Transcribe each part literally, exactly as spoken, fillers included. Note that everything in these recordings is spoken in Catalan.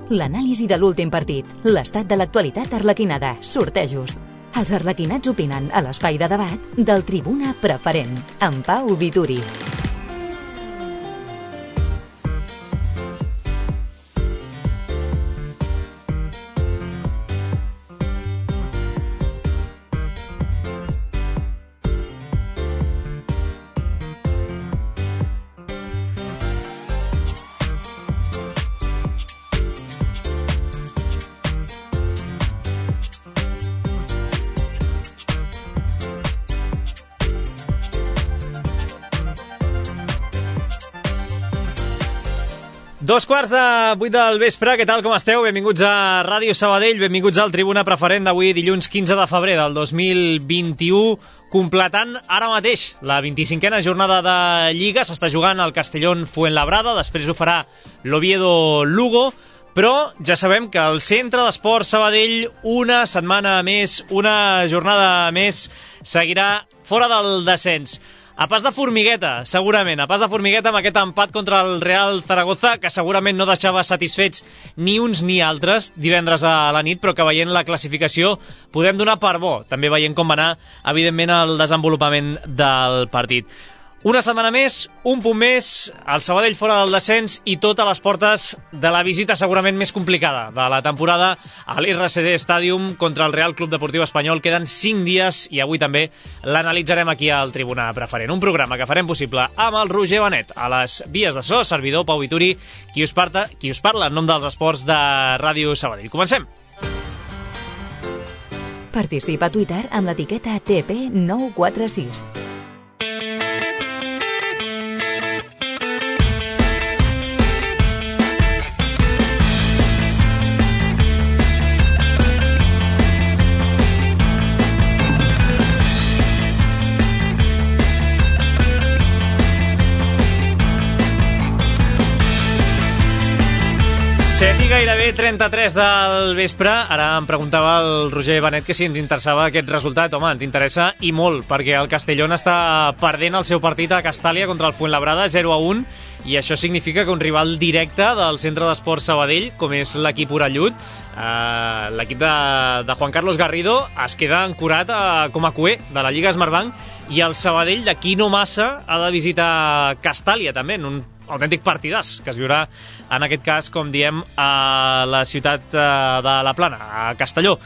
l'anàlisi de l'últim partit, l'estat de l'actualitat arlequinada, sortejos. Els arlequinats opinen a l'espai de debat del Tribuna Preferent, amb Pau Vituri. Dos quarts de vuit del vespre, què tal, com esteu? Benvinguts a Ràdio Sabadell, benvinguts al Tribuna Preferent d'avui, dilluns quinze de febrer del dos mil vint-i-u, completant ara mateix la vint-i-cinquena jornada de Lliga. S'està jugant al Castellón Fuenlabrada, després ho farà l'Oviedo Lugo, però ja sabem que el Centre d'Esports Sabadell, una setmana més, una jornada més, seguirà fora del descens. A pas de formigueta, segurament, a pas de formigueta amb aquest empat contra el Real Zaragoza, que segurament no deixava satisfets ni uns ni altres divendres a la nit, però que veient la classificació podem donar per bo, també veient com va anar, evidentment, el desenvolupament del partit. Una setmana més, un punt més, el Sabadell fora del descens i tot a les portes de la visita segurament més complicada de la temporada a l'R C D Stadium contra el Real Club Deportiu Espanyol. Queden cinc dies i avui també l'analitzarem aquí al Tribuna Preferent. Un programa que farem possible amb el Roger Benet a les vies de so, servidor Pau Vituri, qui us, parta, qui us parla en nom dels esports de Ràdio Sabadell. Comencem! Participa a Twitter amb l'etiqueta T P nou quatre sis. set i gairebé trenta-tres del vespre. Ara em preguntava el Roger Benet que si ens interessava aquest resultat. Home, ens interessa i molt, perquè el Castellón està perdent el seu partit a Castàlia contra el Fuenlabrada zero a un, i això significa que un rival directe del Centre d'Esports Sabadell, com és l'equip orellut, eh, l'equip de, de Juan Carlos Garrido, es queda ancorat a, com a cué de la Lliga Smartbank, i el Sabadell d'aquí no massa ha de visitar Castàlia també, en un autèntic partidàs que es viurà en aquest cas, com diem, a la ciutat de la Plana, a Castelló.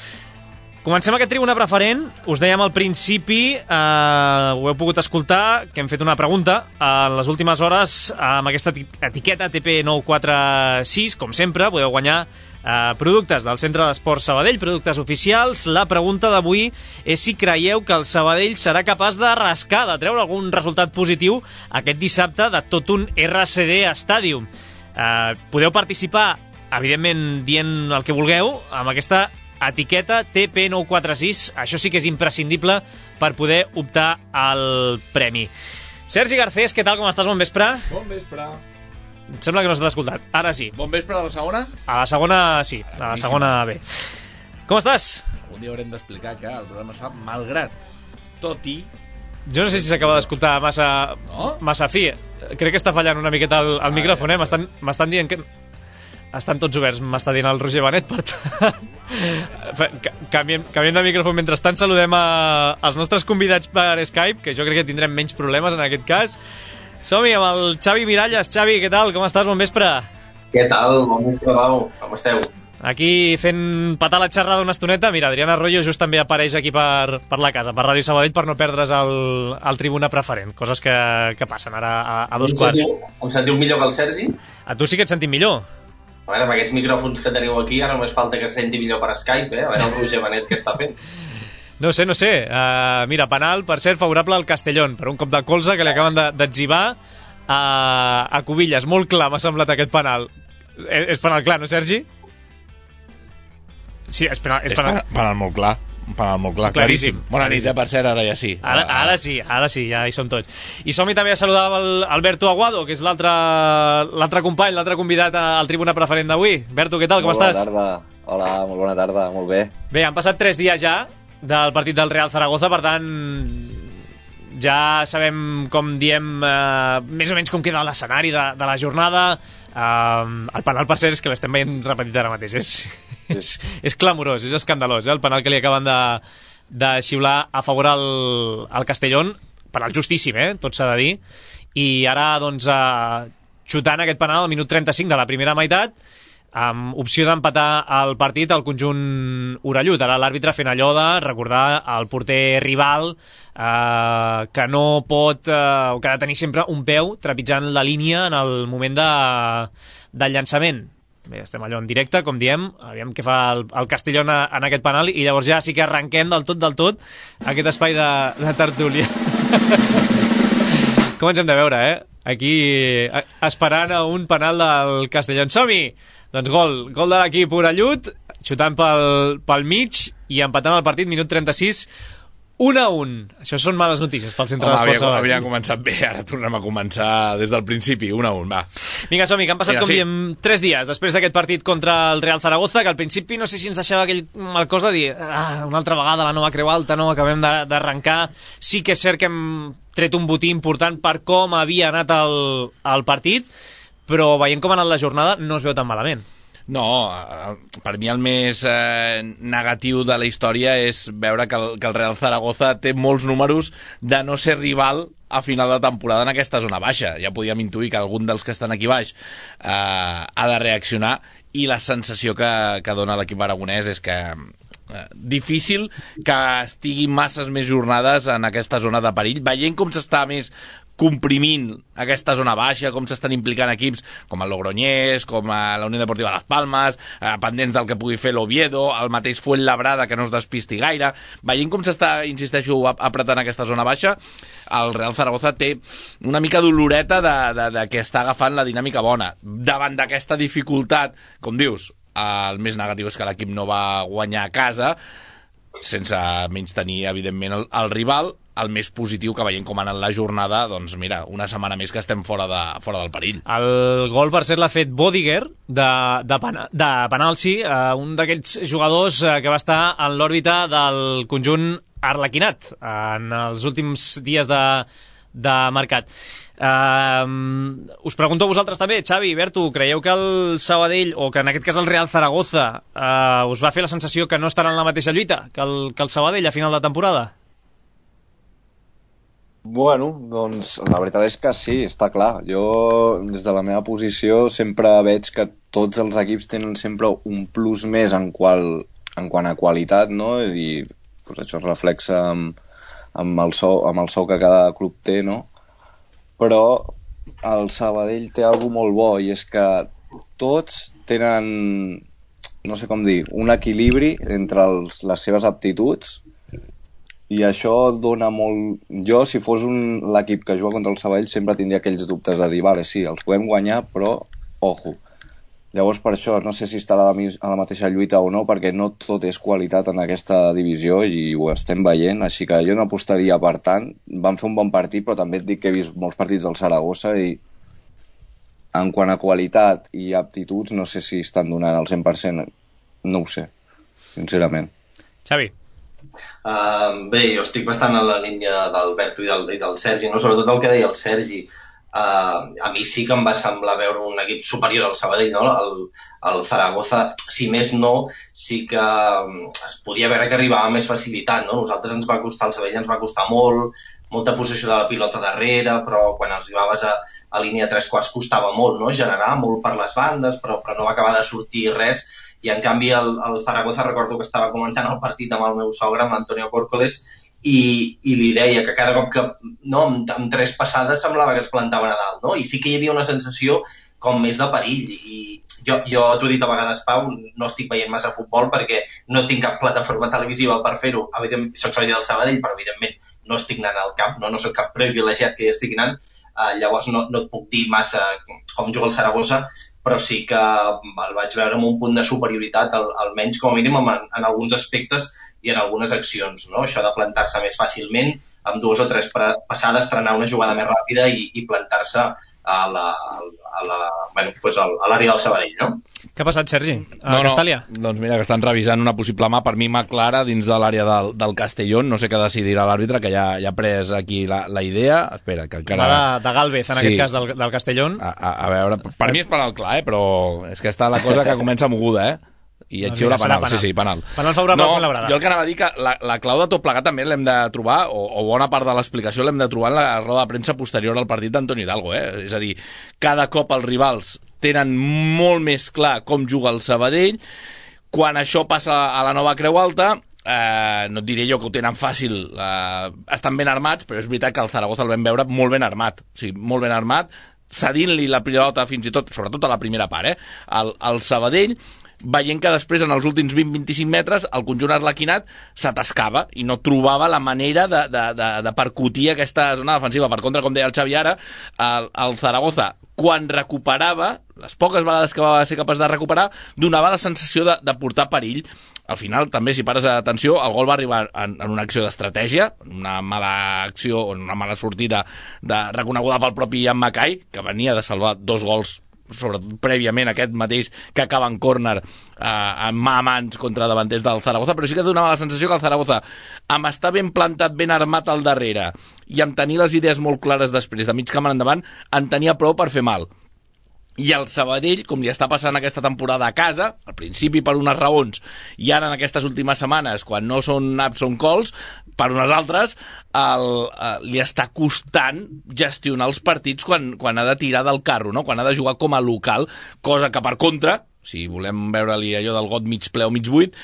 Comencem aquest Tribuna Preferent. Us dèiem al principi, eh, ho heu pogut escoltar, que hem fet una pregunta en les últimes hores amb aquesta etiqueta T P nou quatre sis. Com sempre, podeu guanyar eh, productes del Centre d'Esports Sabadell, productes oficials. La pregunta d'avui és si creieu que el Sabadell serà capaç de rascar, de treure algun resultat positiu aquest dissabte de tot un R C D Stadium. Eh, podeu participar, evidentment, dient el que vulgueu, amb aquesta etiqueta T P nou quatre sis. Això sí que és imprescindible per poder optar al premi. Sergi Garcés, què tal, com estàs? Bon vespre. Bon vespre. Em sembla que no s'ha escoltat. Ara sí. Bon vespre a la segona? A la segona sí, a la segona bé. Com estàs? Un dia haurem d'explicar que el programa es fa malgrat, tot i... Jo no sé si s'acaba d'escoltar massa, no? massa fi. Crec que està fallant una miqueta el, el ah, micròfon, eh? M'estan, m'estan dient que... Estan tots oberts, m'està dient el Roger Benet, per tant... Canviem, canviem de micròfon. Mentrestant saludem a, als nostres convidats per Skype, que jo crec que tindrem menys problemes en aquest cas. Som-hi amb el Xavi Miralles. Xavi, què tal? Com estàs? Bon vespre. Què tal? Bon vespre, Pau. Com esteu? Aquí fent petar la xerrada una estoneta. Mira, Adriana Arroyo just també apareix aquí per, per la casa, per Ràdio Sabadell, per no perdre's el, el Tribuna Preferent. Coses que, que passen ara a, a dos quarts. Em sentiu millor que el Sergi? A tu sí que et sentim millor. A veure, amb aquests micròfons que teniu aquí, ara només falta que es senti millor per Skype, eh? A veure el Roger Benet què està fent. No sé, no sé. Uh, mira, penal, per cert, favorable al Castellón, per un cop de colze que li acaben d'etzibar a, a Cubillas. Molt clar m'ha semblat aquest penal. És, és penal clar, no, Sergi? Sí, és penal. És és penal, penal molt clar. Un penal molt clar, claríssim. claríssim. Bona nit, eh, per cert, ara ja sí. Ara, ara sí, ara sí, ja hi som tots. I som-hi també a saludar el Alberto Aguado, que és l'altre l'altre company, l'altre convidat al Tribuna Preferent d'avui. Berto, què tal, com estàs? Molt bona tarda. Hola, molt bona tarda, molt bé. Bé, han passat tres dies ja del partit del Real Zaragoza, per tant, ja sabem, com diem, eh, més o menys com queda l'escenari de, de la jornada. Uh, el penal, per cert, és que l'estem veient repetit ara mateix. És, és, és clamorós, és escandalós, eh? El penal que li acaben de, de xiular a favor al, al Castellón. Penal justíssim, eh? Tot s'ha de dir. I ara, doncs, uh, xutant aquest penal al minut trenta-cinc de la primera meitat, amb opció d'empatar el partit al conjunt orellut. Ara l'àrbitre fent allò de recordar al porter rival eh, que no pot, eh, que ha de tenir sempre un peu trepitjant la línia en el moment de, del llançament. Bé, estem allò en directe, com diem, aviam què fa el, el Castellón en aquest penal, i llavors ja sí que arrenquem del tot del tot aquest espai de, de tertúlia. Com ens hem de veure, eh? Aquí esperant a un penal del Castellón. Som-hi! Doncs gol, gol de l'equip orellut, xutant pel, pel mig i empatant el partit, minut trenta-sis, un a un. Això són males notícies pel centre d'Esports Sabadell. Havia començat bé, ara tornem a començar des del principi, un a un, va. Vinga, som-hi, que han passat, Vinga, com sí. diem, tres dies després d'aquest partit contra el Real Zaragoza, que al principi no sé si ens deixava aquell mal cosa de dir, ah, una altra vegada la nova creu alta, no, acabem d'arrencar. Sí que és cert que hem tret un botí important per com havia anat el, el partit, però veient com ha anat la jornada no es veu tan malament. No, per mi el més eh, negatiu de la història és veure que el, que el Real Zaragoza té molts números de no ser rival a final de temporada en aquesta zona baixa. Ja podíem intuir que algun dels que estan aquí baix eh, ha de reaccionar, i la sensació que, que dona l'equip aragonès és que eh, difícil que estigui masses més jornades en aquesta zona de perill, veient com s'està més comprimint aquesta zona baixa, com s'estan implicant equips com el Logroñés, com la Unió Deportiva Las Palmas, eh, pendents del que pugui fer l'Oviedo, el mateix Fuenlabrada, que no es despisti gaire. Veient com s'està, insisteixo, apretant aquesta zona baixa, el Real Zaragoza té una mica doloreta de, de, de que està agafant la dinàmica bona. Davant d'aquesta dificultat, com dius, el més negatiu és que l'equip no va guanyar a casa, sense menys tenir, evidentment, el, el rival. El més positiu, que veient com ha anat la jornada, doncs mira, una setmana més que estem fora, de, fora del perill. El gol, per cert, l'ha fet Bodiger de, de, Pana, de penal, sí, uh, un d'aquests jugadors uh, que va estar en l'òrbita del conjunt arlequinat en els últims dies de, de mercat. Uh, us pregunto a vosaltres també, Xavi, Berto, creieu que el Sabadell, o que en aquest cas el Real Zaragoza, uh, us va fer la sensació que no estarà en la mateixa lluita que el, que el Sabadell a final de temporada? Bueno, doncs la veritat és que sí, està clar. Jo, des de la meva posició, sempre veig que tots els equips tenen sempre un plus més en, qual, en quant a qualitat, no? I pues, això es reflexa amb, amb, el sou, amb el sou que cada club té, no? Però el Sabadell té alguna molt bo, i és que tots tenen, no sé com dir, un equilibri entre els, les seves aptituds, i això dona molt... Jo, si fos un... l'equip que juga contra el Sabadell, sempre tindria aquells dubtes de dir, vale, sí, els podem guanyar, però, ojo. Llavors, per això, no sé si estarà a la, a la mateixa lluita o no, perquè no tot és qualitat en aquesta divisió i ho estem veient, així que jo no apostaria per tant. Van fer un bon partit, però també et dic que he vist molts partits del Saragossa i en quant a qualitat i aptituds, no sé si estan donant el cent per cent. No ho sé, sincerament. Xavi. Uh, bé, jo estic bastant en la línia d'Alberto i, del, i del Sergi, no? Sobretot el que deia el Sergi. Uh, a mi sí que em va semblar veure un equip superior al Sabadell, no? El, el Zaragoza, si més no, sí que es podia veure que arribava amb més facilitat, no? Nosaltres ens va costar, el Sabadell ens va costar molt, molta possessió de la pilota darrere, però quan arribaves a, a línia tres quarts costava molt, no? Generar molt per les bandes, però, però no va acabar de sortir res. I en canvi el, el Zaragoza, recordo que estava comentant el partit amb el meu sogre, amb Antonio Córcoles, i, i li deia que cada cop que, no, amb, amb tres passades semblava que es plantaven a dalt, no? I sí que hi havia una sensació com més de perill. I jo, jo t'ho he dit a vegades, Pau, no estic veient massa futbol perquè no tinc cap plataforma televisiva per fer-ho. Soc soci del Sabadell, però evidentment no estic anant al camp, no, no soc cap privilegiat que hi estic anant, uh, llavors no, no et puc dir massa com juga el Saragossa, però sí que el vaig veure amb un punt de superioritat, al, almenys com a mínim en, en alguns aspectes i en algunes accions, no? Això de plantar-se més fàcilment, amb dues o tres passades, trenar una jugada més ràpida i, i plantar-se a la, a la, bueno, pues a l'àrea del Sabadell, no? Què ha passat, Sergi? A no, Castàlia? No, doncs mira, que estan revisant una possible mà, per mi mà clara dins de l'àrea del, del Castellón, no sé què decidirà l'àrbitre, que ja, ja ha pres aquí la, la idea, espera, que encara... Va de, de Galvez, en sí. aquest cas, del, del Castellón. A, a, a veure, per mi és penal clar, eh, però és que està la cosa que comença moguda, eh? I et xiula penal. penal, sí, sí, penal. Penal favorable no, a Labrada. Jo el que anava a dir que la, la clau de tot plegat també l'hem de trobar, o, o bona part de l'explicació l'hem de trobar en la roda de premsa posterior al partit d'Antoni Hidalgo, eh? És a dir, cada cop els rivals tenen molt més clar com juga el Sabadell. Quan això passa a la nova Creu Alta, eh, no et diré jo que ho tenen fàcil, eh, estan ben armats, però és veritat que el Zaragoza el vam veure molt ben armat, o sigui, molt ben armat, cedint-li la pilota fins i tot, sobretot a la primera part, eh? El, el Sabadell, veient que després en els últims vint a vint-i-cinc metres el conjunt arlequinat s'atascava i no trobava la manera de, de, de, de percutir aquesta zona defensiva. Per contra, com deia el Xavi ara, el, el Zaragoza, quan recuperava, les poques vegades que va ser capaç de recuperar, donava la sensació de, de portar perill. Al final, també, si pares atenció, el gol va arribar en, en una acció d'estratègia, una mala acció, una mala sortida de, reconeguda pel propi Ian Mackay, que venia de salvar dos gols, sobretot prèviament aquest mateix que acaba en córner eh, en mà a mans contra davanters del Zaragoza, però sí que donava la sensació que el Zaragoza, amb estar ben plantat, ben armat al darrere i amb tenir les idees molt clares després, de mig camp en endavant, en tenia prou per fer mal. I el Sabadell, com li està passant aquesta temporada a casa, al principi per unes raons, i ara en aquestes últimes setmanes, quan no són naps, són cols, per unes altres, el, eh, li està costant gestionar els partits quan, quan ha de tirar del carro, no? Quan ha de jugar com a local, cosa que per contra, si volem veure-li allò del got mig ple o mig buit,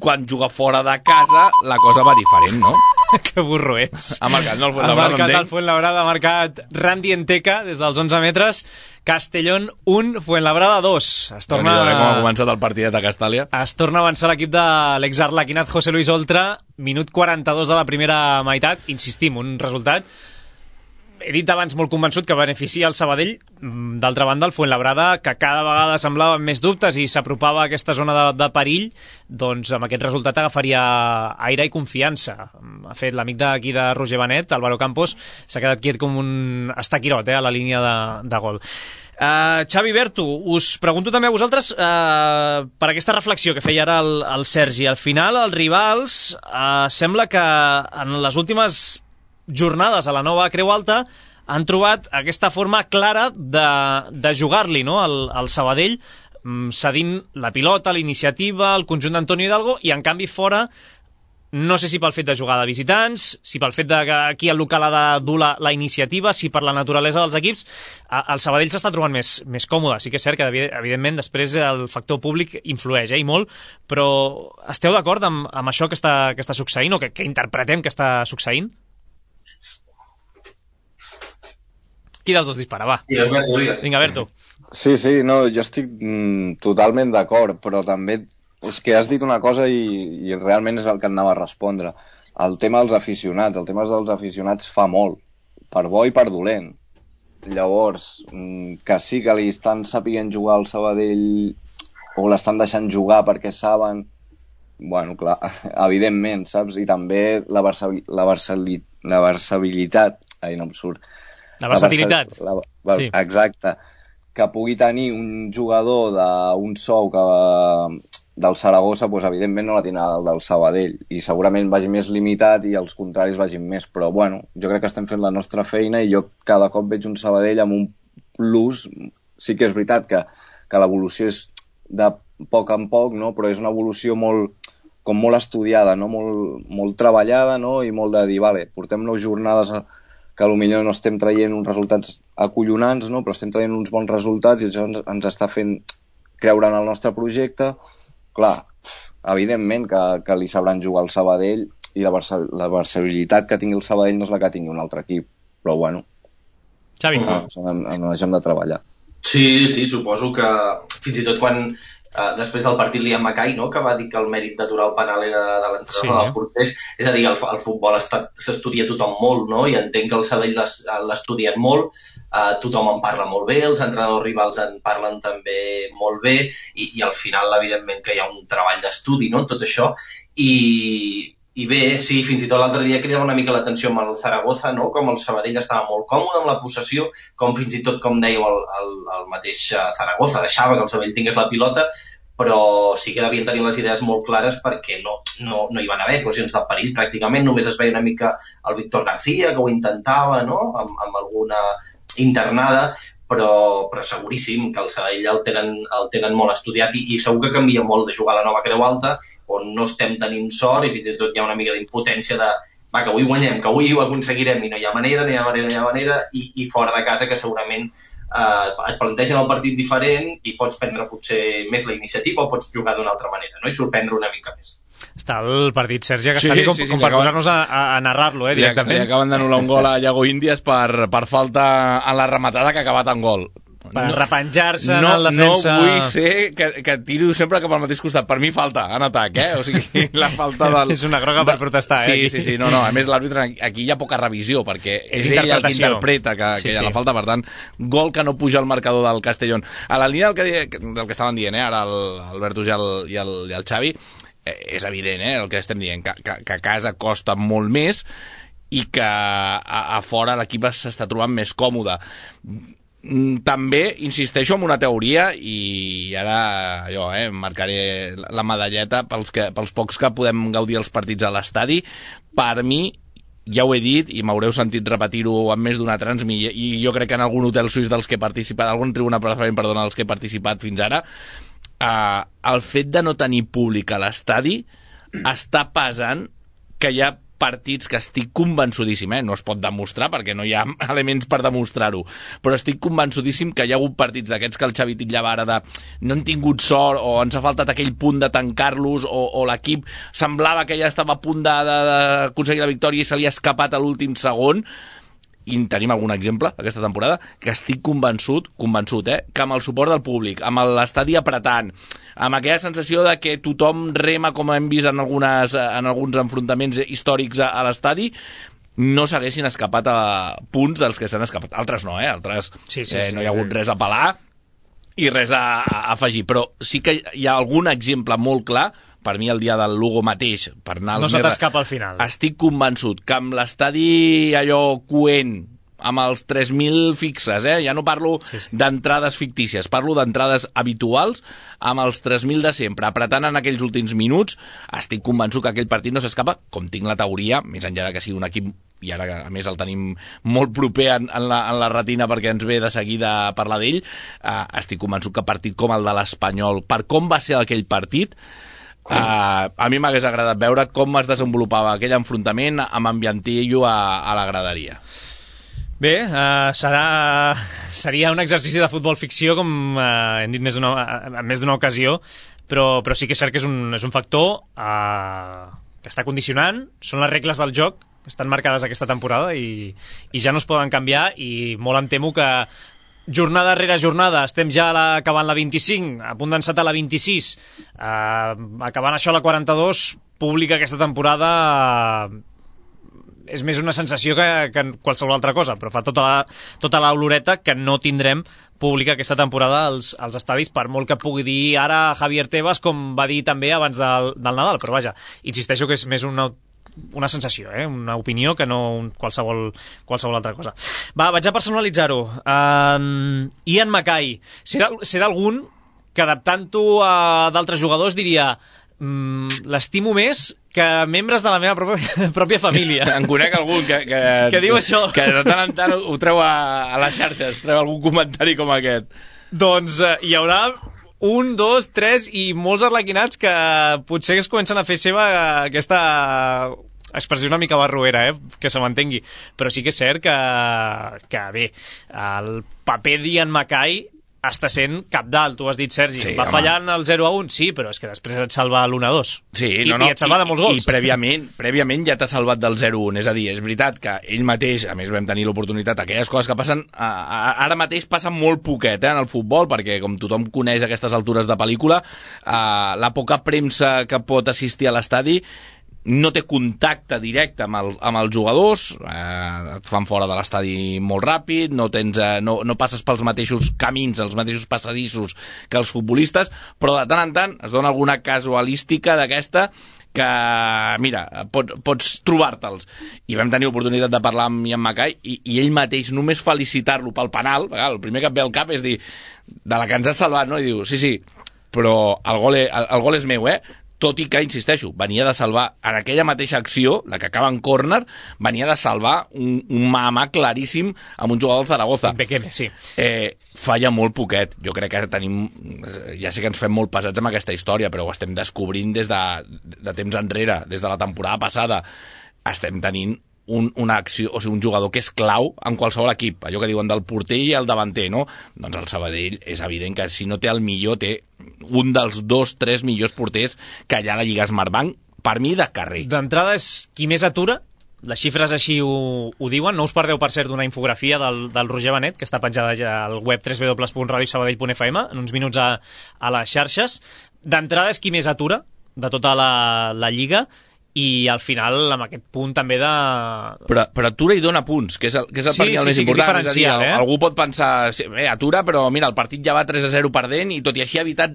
quan juga fora de casa la cosa va diferent, no? Que burro és. Ha marcat, no? El Fuenlabrada, ha marcat el Fuenlabrada, ha marcat Randy Enteca des dels onze metres, Castellón un, Fuenlabrada dos. Es torna... No, com ha començat el partidet a Castàlia. Es torna a avançar l'equip de l'exarlequinat José Luis Oltra, minut quaranta-dos de la primera meitat, insistim, un resultat he dit abans molt convençut que beneficia el Sabadell. D'altra banda, el Fuenlabrada, que cada vegada semblava més dubtes i s'apropava a aquesta zona de, de perill, doncs amb aquest resultat agafaria aire i confiança. Ha fet l'amic d'aquí de Roger Benet, Álvaro Campos, s'ha quedat quiet com un estaquirot eh, a la línia de, de gol. Uh, Xavi Berto, us pregunto també a vosaltres uh, per aquesta reflexió que feia ara el, el Sergi. Al final, els rivals uh, sembla que en les últimes jornades a la nova Creu Alta han trobat aquesta forma clara de, de jugar-li, no? el, el Sabadell cedint la pilota, la iniciativa, el conjunt d'Antonio Hidalgo, i en canvi fora, no sé si pel fet de jugar de visitants, si pel fet de que aquí el local ha de dur la, la iniciativa, si per la naturalesa dels equips, el Sabadell s'està trobant més, més còmode. Sí que és cert que evidentment després el factor públic influeix, eh, i molt, però esteu d'acord amb, amb això que està, que està succeint, o que, que interpretem que està succeint? Qui dels dos dispara, va? Vinga, Berto. Sí, sí, no, jo estic mm, totalment d'acord, però també és que has dit una cosa i, i realment és el que anava a respondre. El tema dels aficionats, el tema dels aficionats fa molt, per bo i per dolent. Llavors, mm, que sí que li estan sapient jugar al Sabadell o l'estan deixant jugar perquè saben, bueno, clar, evidentment, saps? I també la, versabil, la, versali, la versabilitat, ai, no em surt, La versatilitat. La, la, sí. Exacte. Que pugui tenir un jugador d'un sou que, del Saragossa, doncs, evidentment no la tindrà el del Sabadell, i segurament vagi més limitat i els contraris vagin més, però bueno, jo crec que estem fent la nostra feina i jo cada cop veig un Sabadell amb un plus. Sí que és veritat que, que l'evolució és de poc en poc, no? Però és una evolució molt, com molt estudiada, no? molt, molt treballada, no? I molt de dir, vale, portem nou jornades a que potser no estem traient uns resultats acollonants, no? Però estem traient uns bons resultats i això ens, ens està fent creure en el nostre projecte. Clar, evidentment que, que li sabran jugar al Sabadell i la, versa, la versabilitat que tingui el Sabadell no és la que tingui un altre equip, però bueno, Xavi. No, en, en això hem de treballar. Sí, sí, suposo que fins i tot quan Uh, després del partit Liam Mackay, no? Que va dir que el mèrit d'aturar el penal era de l'entrenador sí, del porters, és a dir, el, el futbol s'estudia tothom molt, no? I entenc que el Sabadell l'estudien molt, uh, tothom en parla molt bé, els entrenadors rivals en parlen també molt bé, i, i al final evidentment que hi ha un treball d'estudi, no? Tot això, i i bé, sí, fins i tot l'altre dia cridava una mica l'atenció amb el Zaragoza, no? Com el Sabadell estava molt còmode amb la possessió, com fins i tot, com dèieu, el, el, el mateix Zaragoza deixava que el Sabadell tingués la pilota, però sí que devien tenir les idees molt clares perquè no, no, no hi van haver ocasions de perill pràcticament, només es veia una mica el Víctor García, que ho intentava, no? amb, amb alguna internada, però, però seguríssim que el Sabadell el tenen, el tenen molt estudiat i, i segur que canvia molt de jugar a la nova Creu Alta, on no estem tenint sort i fins i tot hi ha una mica d'impotència de va, que avui guanyem, que avui ho aconseguirem i no hi ha manera, no hi ha manera, no hi ha manera i, i fora de casa que segurament eh, et plantegen el partit diferent i pots prendre potser més la iniciativa o pots jugar d'una altra manera, no? I sorprendre una mica més. Està el partit, Sergi, que està sí, com, sí, sí, com per posar-nos a, a narrar-lo, eh, directament. Li acaben d'anul·lar un gol a Iago Índies per, per falta en la rematada que ha acabat en gol. Per no, repenjar-se no, en el defensa... No vull ser que, que tiro sempre cap al mateix costat. Per mi falta en atac, eh? O sigui, la falta del... És una groga per protestar, eh? Sí, aquí. sí, sí. No, no. A més, l'àrbitre aquí hi ha poca revisió, perquè és, és ell el que interpreta que, sí, que hi ha sí. la falta. Per tant, gol que no puja al marcador del Castellón. A la línia del que, del que estaven dient, eh? Ara l'Alberto i el, i, el, i el Xavi, eh, és evident, eh? El que estem dient, que, que, que a casa costa molt més i que a, a fora l'equip s'està trobant més còmode. També insisteixo en una teoria i ara jo eh, marcaré la medalleta pels, que, pels pocs que podem gaudir els partits a l'estadi. Per mi, ja ho he dit i m'haureu sentit repetir-ho en més d'una transmi i jo crec que en algun hotel suís dels que he participat, algun tribuna preferent, perdona, dels que he participat fins ara, eh, el fet de no tenir públic a l'estadi està pesant que hi ha partits que estic convençudíssim, eh? No es pot demostrar perquè no hi ha elements per demostrar-ho, però estic convençudíssim que hi ha hagut partits d'aquests que el Xavi titllava ara de no han tingut sort o ens ha faltat aquell punt de tancar-los o, o l'equip semblava que ja estava a punt d'aconseguir la victòria i se li ha escapat a l'últim segon. I tenim algun exemple aquesta temporada que estic convençut, convençut, eh, que amb el suport del públic, amb l'estadi apretant, amb aquella sensació de que tothom rema com hem vist en, algunes, en alguns enfrontaments històrics a, a l'estadi, no s'haguessin escapat a punts dels que s'han escapat. Altres no, eh? Altres sí, sí, eh, sí, no hi ha hagut res a pelar i res a, a afegir. Però sí que hi ha algun exemple molt clar. Per mi el dia del Lugo mateix, per anar als no se t'escapa al final. Estic convençut que amb l'estadi allò coent, amb els tres mil fixes, eh? Ja no parlo sí, sí. d'entrades fictícies, parlo d'entrades habituals, amb els tres mil de sempre, apretant en aquells últims minuts, estic convençut que aquell partit no s'escapa, com tinc la teoria, més enllà de que sigui un equip, i ara a més el tenim molt proper en, en, la, en la retina perquè ens ve de seguida parlar d'ell, eh, estic convençut que partit com el de l'Espanyol, per com va ser aquell partit, Uh, a mi m'hagués agradat veure com es desenvolupava aquell enfrontament amb ambientillo a, a la graderia. Bé, uh, serà, seria un exercici de futbol ficció, com uh, hem dit més d'una, en més d'una ocasió, però, però sí que és cert que és un, és un factor uh, que està condicionant, són les regles del joc que estan marcades aquesta temporada i, i ja no es poden canviar i molt em temo que jornada rere jornada, estem ja la, acabant la vint-i-cinc, a punt d'encetar la vint-i-sis, eh, acabant això la quaranta-dos, pública aquesta temporada eh, és més una sensació que, que qualsevol altra cosa, però fa tota la, tota l'oloreta que no tindrem pública aquesta temporada als, als estadis, per molt que pugui dir ara Javier Tebas, com va dir també abans del, del Nadal, però vaja, insisteixo que és més una una sensació, eh? Una opinió que no un qualsevol, qualsevol altra cosa. Va, vaig a personalitzar-ho. Um, Ian Mackay. Serà, serà algun que adaptant-ho a d'altres jugadors diria mm, l'estimo més que membres de la meva pròpia, pròpia família. En conec algun que, que, que diu això. Que de tant en tant ho treu a, a les xarxes, treu algun comentari com aquest. Doncs uh, hi haurà un, dos, tres i molts arlequinats que potser es comencen a fer seva aquesta expressió una mica barroera, eh? Que se m'entengui. Però sí que és cert que, que bé, el paper d'Ian Mackay està sent cabdal, tu has dit, Sergi. Sí, va home. fallant el zero a un, sí, però és que després et salva l'un a dos. Sí, I, no, no. I et salva de molts gols. I, i prèviament, prèviament ja t'ha salvat del zero a un. És a dir, és veritat que ell mateix, a més vam tenir l'oportunitat, aquelles coses que passen, a, a, ara mateix passen molt poquet eh, en el futbol, perquè com tothom coneix aquestes altures de pel·lícula, eh, la poca premsa que pot assistir a l'estadi no té contacte directe amb, el, amb els jugadors, eh, et fan fora de l'estadi molt ràpid, no, tens, eh, no, no passes pels mateixos camins, els mateixos passadissos que els futbolistes, però de tant en tant es dona alguna casualística d'aquesta que, mira, pot, pots trobar-te'ls. I vam tenir oportunitat de parlar amb Ian Mackay i, i ell mateix només felicitar-lo pel penal, el primer que et ve al cap és dir, de la que ens has salvat, no? I diu, sí, sí, però el gol, el, el gol és meu, eh? Tot i que, insisteixo, venia de salvar, en aquella mateixa acció, la que acaba en córner, venia de salvar un, un mà a mà claríssim amb un jugador del Zaragoza. Bekeme, sí. Eh, falla molt poquet. Jo crec que tenim... Ja sé que ens fem molt pesats amb aquesta història, però ho estem descobrint des de, de temps enrere, des de la temporada passada. Estem tenint un, una acció, o sigui, un jugador que és clau en qualsevol equip. Allò que diuen del porter i el davanter, no? Doncs el Sabadell és evident que si no té el millor, té un dels dos, tres millors porters que hi ha a la Lliga Smartbank, per mi, de carrer. D'entrada és qui més atura, les xifres així ho, ho diuen, no us perdeu, per cert, d'una infografia del, del Roger Benet, que està penjada ja al web w w w punt radio sabadell punt f m, en uns minuts a, a les xarxes. D'entrada és qui més atura de tota la, la Lliga, i al final amb aquest punt també de... Però, però atura i dona punts, que és el, que és el sí, per mi el sí, més sí, important. És a dir, eh? algú pot pensar, bé, atura, però mira, el partit ja va tres a zero perdent i tot i així ha evitat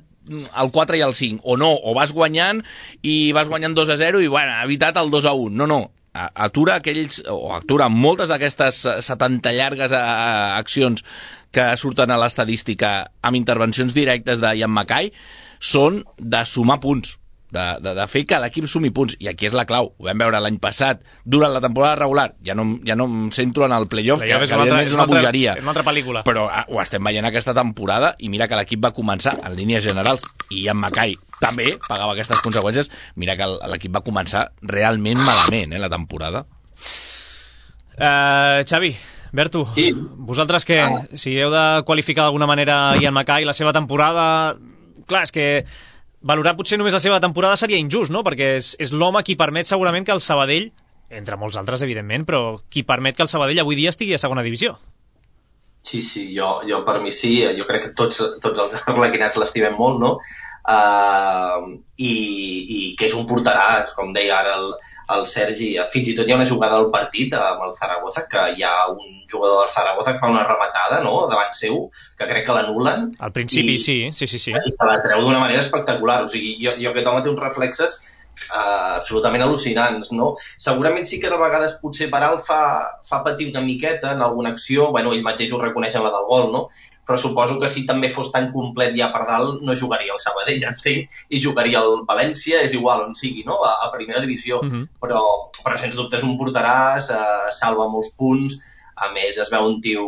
el quatre i el cinc, o no, o vas guanyant i vas guanyant dos a zero i bueno, ha evitat el dos a un. No, no, atura aquells, o atura moltes d'aquestes setanta llargues accions que surten a l'estadística amb intervencions directes de Ian Mackay, són de sumar punts. De, de, de fer que l'equip sumi punts, i aquí és la clau. Ho vam veure l'any passat durant la temporada regular, ja no, ja no em centro en el playoff, que, que evidentment és una bogeria, és una altra pel·lícula, però ah, ho estem veient aquesta temporada i mira que l'equip va començar en línies generals, i en Mackay també pagava aquestes conseqüències. Mira que l'equip va començar realment malament, eh, la temporada. uh, Xavi, Berto, sí. Vosaltres què? Ah. Si heu de qualificar d'alguna manera Ian Mackay, la seva temporada, clar, és que valorar potser només la seva temporada seria injust, no? Perquè és, és l'home qui permet segurament que el Sabadell, entre molts altres evidentment, però qui permet que el Sabadell avui dia estigui a segona divisió. Sí, sí, jo, jo per mi sí, jo crec que tots, tots els arlequinats l'estimem molt, no? Uh, i, i que és un porteràs, com deia ara el, el Sergi. Fins i tot hi ha una jugada al partit amb el Zaragoza, que hi ha un jugador del Zaragoza que fa una rematada, no?, davant seu, que crec que l'anulen. Al principi, i, sí, sí, sí, sí. I se la treu d'una manera espectacular. O sigui, jo, jo aquest home té uns reflexes uh, absolutament al·lucinants, no? Segurament sí que de vegades potser per alt fa, fa patir una miqueta en alguna acció, bueno, ell mateix ho reconeix en la del gol, no? Però suposo que si també fos tan complet ja per dalt no jugaria el Sabadell, entenc, i jugaria el València, és igual on sigui, no?, a, a primera divisió. Uh-huh. però, però sens dubte és un porteràs, eh, salva molts punts, a més es veu un tio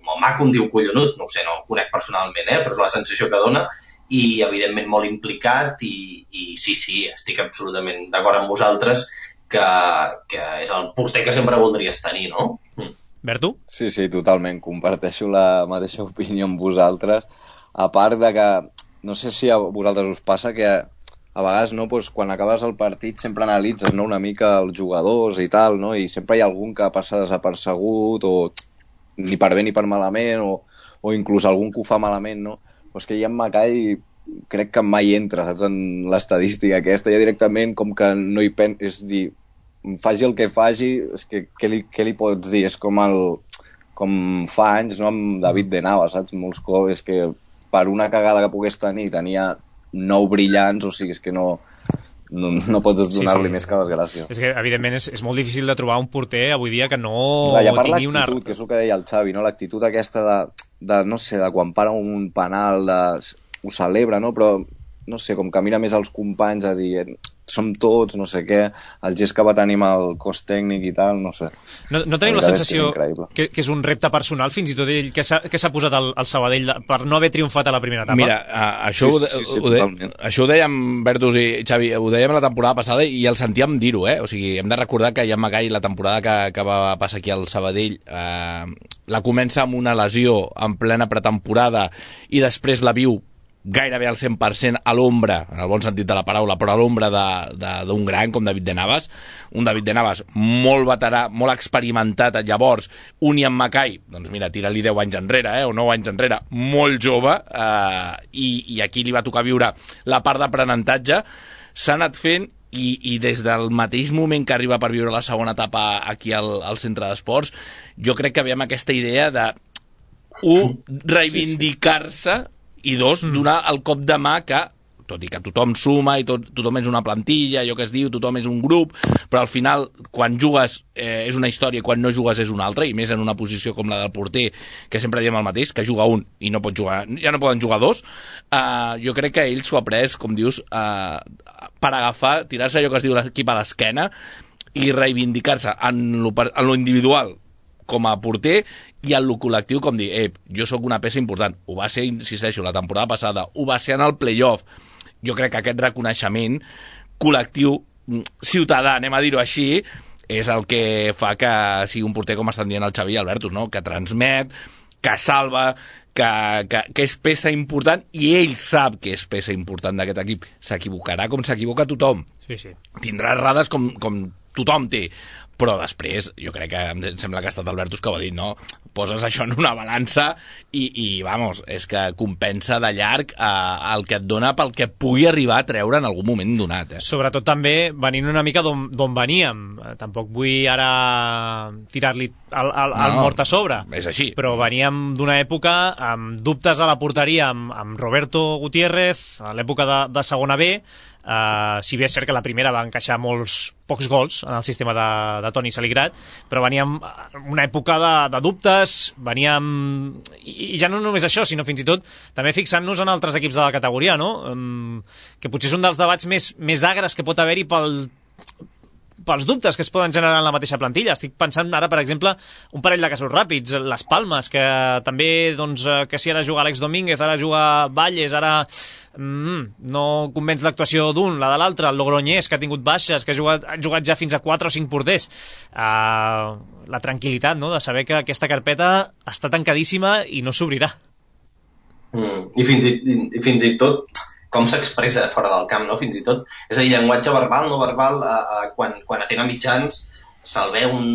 molt maco, un tio collonut, no ho sé, no el conec personalment, eh, però és la sensació que dona, i evidentment molt implicat, i, i sí, sí, estic absolutament d'acord amb vosaltres que, que és el porter que sempre voldries tenir, no? Mm. Berto? Sí, sí, totalment. Comparteixo la mateixa opinió amb vosaltres. A part de que, no sé si a vosaltres us passa que a vegades, no, doncs, quan acabes el partit sempre analitzes, no, una mica els jugadors i tal, no? I sempre hi ha algun que passa desapercegut o ni per bé ni per malament o, o inclús algun que ho fa malament, no? Però és que Ian Mackay crec que mai entra, saps, en l'estadística aquesta, ja directament com que no hi pen... És dir, faci el que faci, és que què li, què li pots dir? És com el com fa anys, no, amb David de Navas, saps? Molts cops, és que per una cagada que pogués tenir, tenia nou brillants, o sigui, és que no, no, no pots donar-li sí, sí. més que les gràcies. És que, evidentment, és, és molt difícil de trobar un porter avui dia que no Clar, ja tingui una... l'actitud, que és el que deia el Xavi, no? L'actitud aquesta de, de, no sé, de quan para un penal, de, ho celebra, no? Però, no sé, com que mira més els companys a dir som tots, no sé què, el gest que va tenir amb el cos tècnic i tal, no sé. No, no tenim la, la sensació que, que és un repte personal, fins i tot ell, que s'ha posat al, al Sabadell per no haver triomfat a la primera etapa? Mira, uh, això, sí, sí, sí, ho, de, això ho dèiem, Bertus i Xavi, ho dèiem la temporada passada i el sentíem dir-ho, eh? O sigui, hem de recordar que Ian Mackay, la temporada que, que va passar aquí al Sabadell, eh, la comença amb una lesió en plena pretemporada i després la viu gairebé al cent per cent a l'ombra, en el bon sentit de la paraula, però a l'ombra d'un gran com David de Navas, un David de Navas molt veterà, molt experimentat llavors, un Ian Mackay, doncs mira, tira-li deu anys enrere, eh, o nou anys enrere, molt jove, eh, i, i aquí li va tocar viure la part d'aprenentatge, s'ha anat fent i, i des del mateix moment que arriba per viure la segona etapa aquí al, al centre d'esports, jo crec que veiem aquesta idea de un, reivindicar-se i dos, donar el cop de mà que tot i que tothom suma i tot, tothom és una plantilla, allò que es diu, tothom és un grup, però al final, quan jugues eh, és una història i quan no jugues és una altra, i més en una posició com la del porter, que sempre diem el mateix, que juga un i no pot jugar, ja no poden jugar dos, eh, jo crec que ell s'ho ha pres, com dius, eh, per agafar, tirar-se allò que es diu l'equip a l'esquena i reivindicar-se en lo, en lo individual com a porter i en lo col·lectiu com dir, eh, jo sóc una peça important. Ho va ser, insisteixo, la temporada passada, ho va ser en el playoff. Jo crec que aquest reconeixement col·lectiu, ciutadà, anem a dir-ho així, és el que fa que sigui un porter, com estan dient el Xavi i Alberto, no? Que transmet, que salva, que, que, que és peça important, i ell sap que és peça important d'aquest equip. S'equivocarà com s'equivoca tothom. Sí, sí. Tindrà errades com, com tothom té, però després, jo crec que em sembla que ha estat Albertus que ho ha dit, no? Poses això en una balança i, i vamos, és que compensa de llarg eh, el que et dona pel que pugui arribar a treure en algun moment donat. Eh? Sobretot també venint una mica d'on veníem. Tampoc vull ara tirar-li el, el, el no, mort a sobre. És així. Però veníem d'una època amb dubtes a la porteria amb, amb Roberto Gutiérrez, a l'època de, de segona B. Uh, si bé és cert que la primera va encaixar molts pocs gols en el sistema de, de Toni Saligrat, però veníem una època de, de dubtes, veníem i, i ja no només això, sinó fins i tot també fixant-nos en altres equips de la categoria, no? Um, que potser és un dels debats més, més agres que pot haver-hi pel pels dubtes que es poden generar en la mateixa plantilla. Estic pensant ara, per exemple, un parell de casos ràpids, les Palmes, que també, doncs, que si ara juga Àlex Domínguez, ara juga Valles, ara mm, no convenç l'actuació d'un, la de l'altre, el Logroñés, que ha tingut baixes, que ha jugat, ha jugat ja fins a quatre o cinc porters. Uh, la tranquil·litat, no?, de saber que aquesta carpeta està tancadíssima i no s'obrirà. Mm, i, fins i, i fins i tot com s'expressa fora del camp, no? Fins i tot. És a dir, llenguatge verbal, no verbal, eh, eh, quan, quan atén a mitjans, se'l veu un,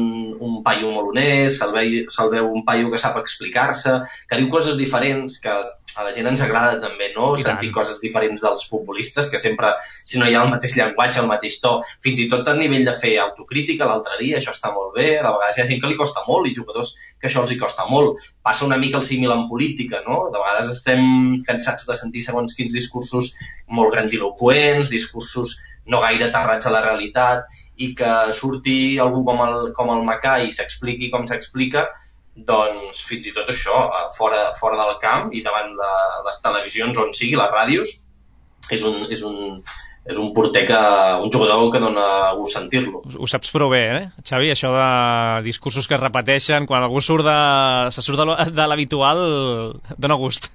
un paio molt honest, se'l veu, se veu un paio que sap explicar-se, que diu coses diferents, que a la gent ens agrada també, no? I sentir tant. Coses diferents dels futbolistes, que sempre, si no hi ha el mateix llenguatge, el mateix to, fins i tot a nivell de fer autocrítica l'altre dia, això està molt bé, de vegades hi ha gent que li costa molt i jugadors que això els hi costa molt. Passa una mica el símil en política, no? De vegades estem cansats de sentir segons quins discursos molt grandiloquents, discursos no gaire aterrats a la realitat, i que surti algú com el, com el Macà i s'expliqui com s'explica, doncs fins i tot això, fora, fora del camp i davant de les televisions on sigui, les ràdios, és un, és un, és un porter que, un jugador que dona gust sentir-lo. Ho saps prou bé, eh, Xavi? Això de discursos que es repeteixen, quan algú surt de, se surt de l'habitual, dona gust.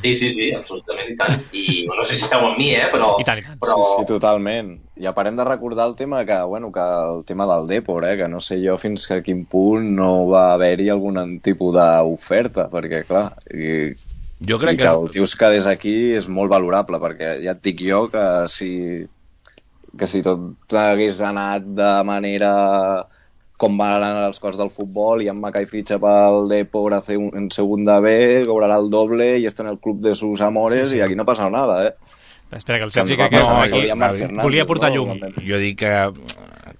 Sí, sí, sí, absolutament, i tant. I no sé si esteu amb mi, eh, però... I tant, i tant. Però... Sí, sí, totalment. I a parem de recordar el tema que, bueno, que el tema del Depor, eh, que no sé jo fins a quin punt no va haver-hi algun tipus d'oferta, perquè, clar, i, jo crec i que, que el tio es quedés aquí és molt valorable, perquè ja et dic jo que si, que si tot hagués anat de manera... com van anar els cors del futbol i en Macai fitxa pel Depor en segunda B, cobrarà el doble i està en el club de sus amores, sí, sí. I aquí no passa nada, eh? Espera, que el Sergi que, que no, aquí, aquí, volia portar llum. No? Jo dic que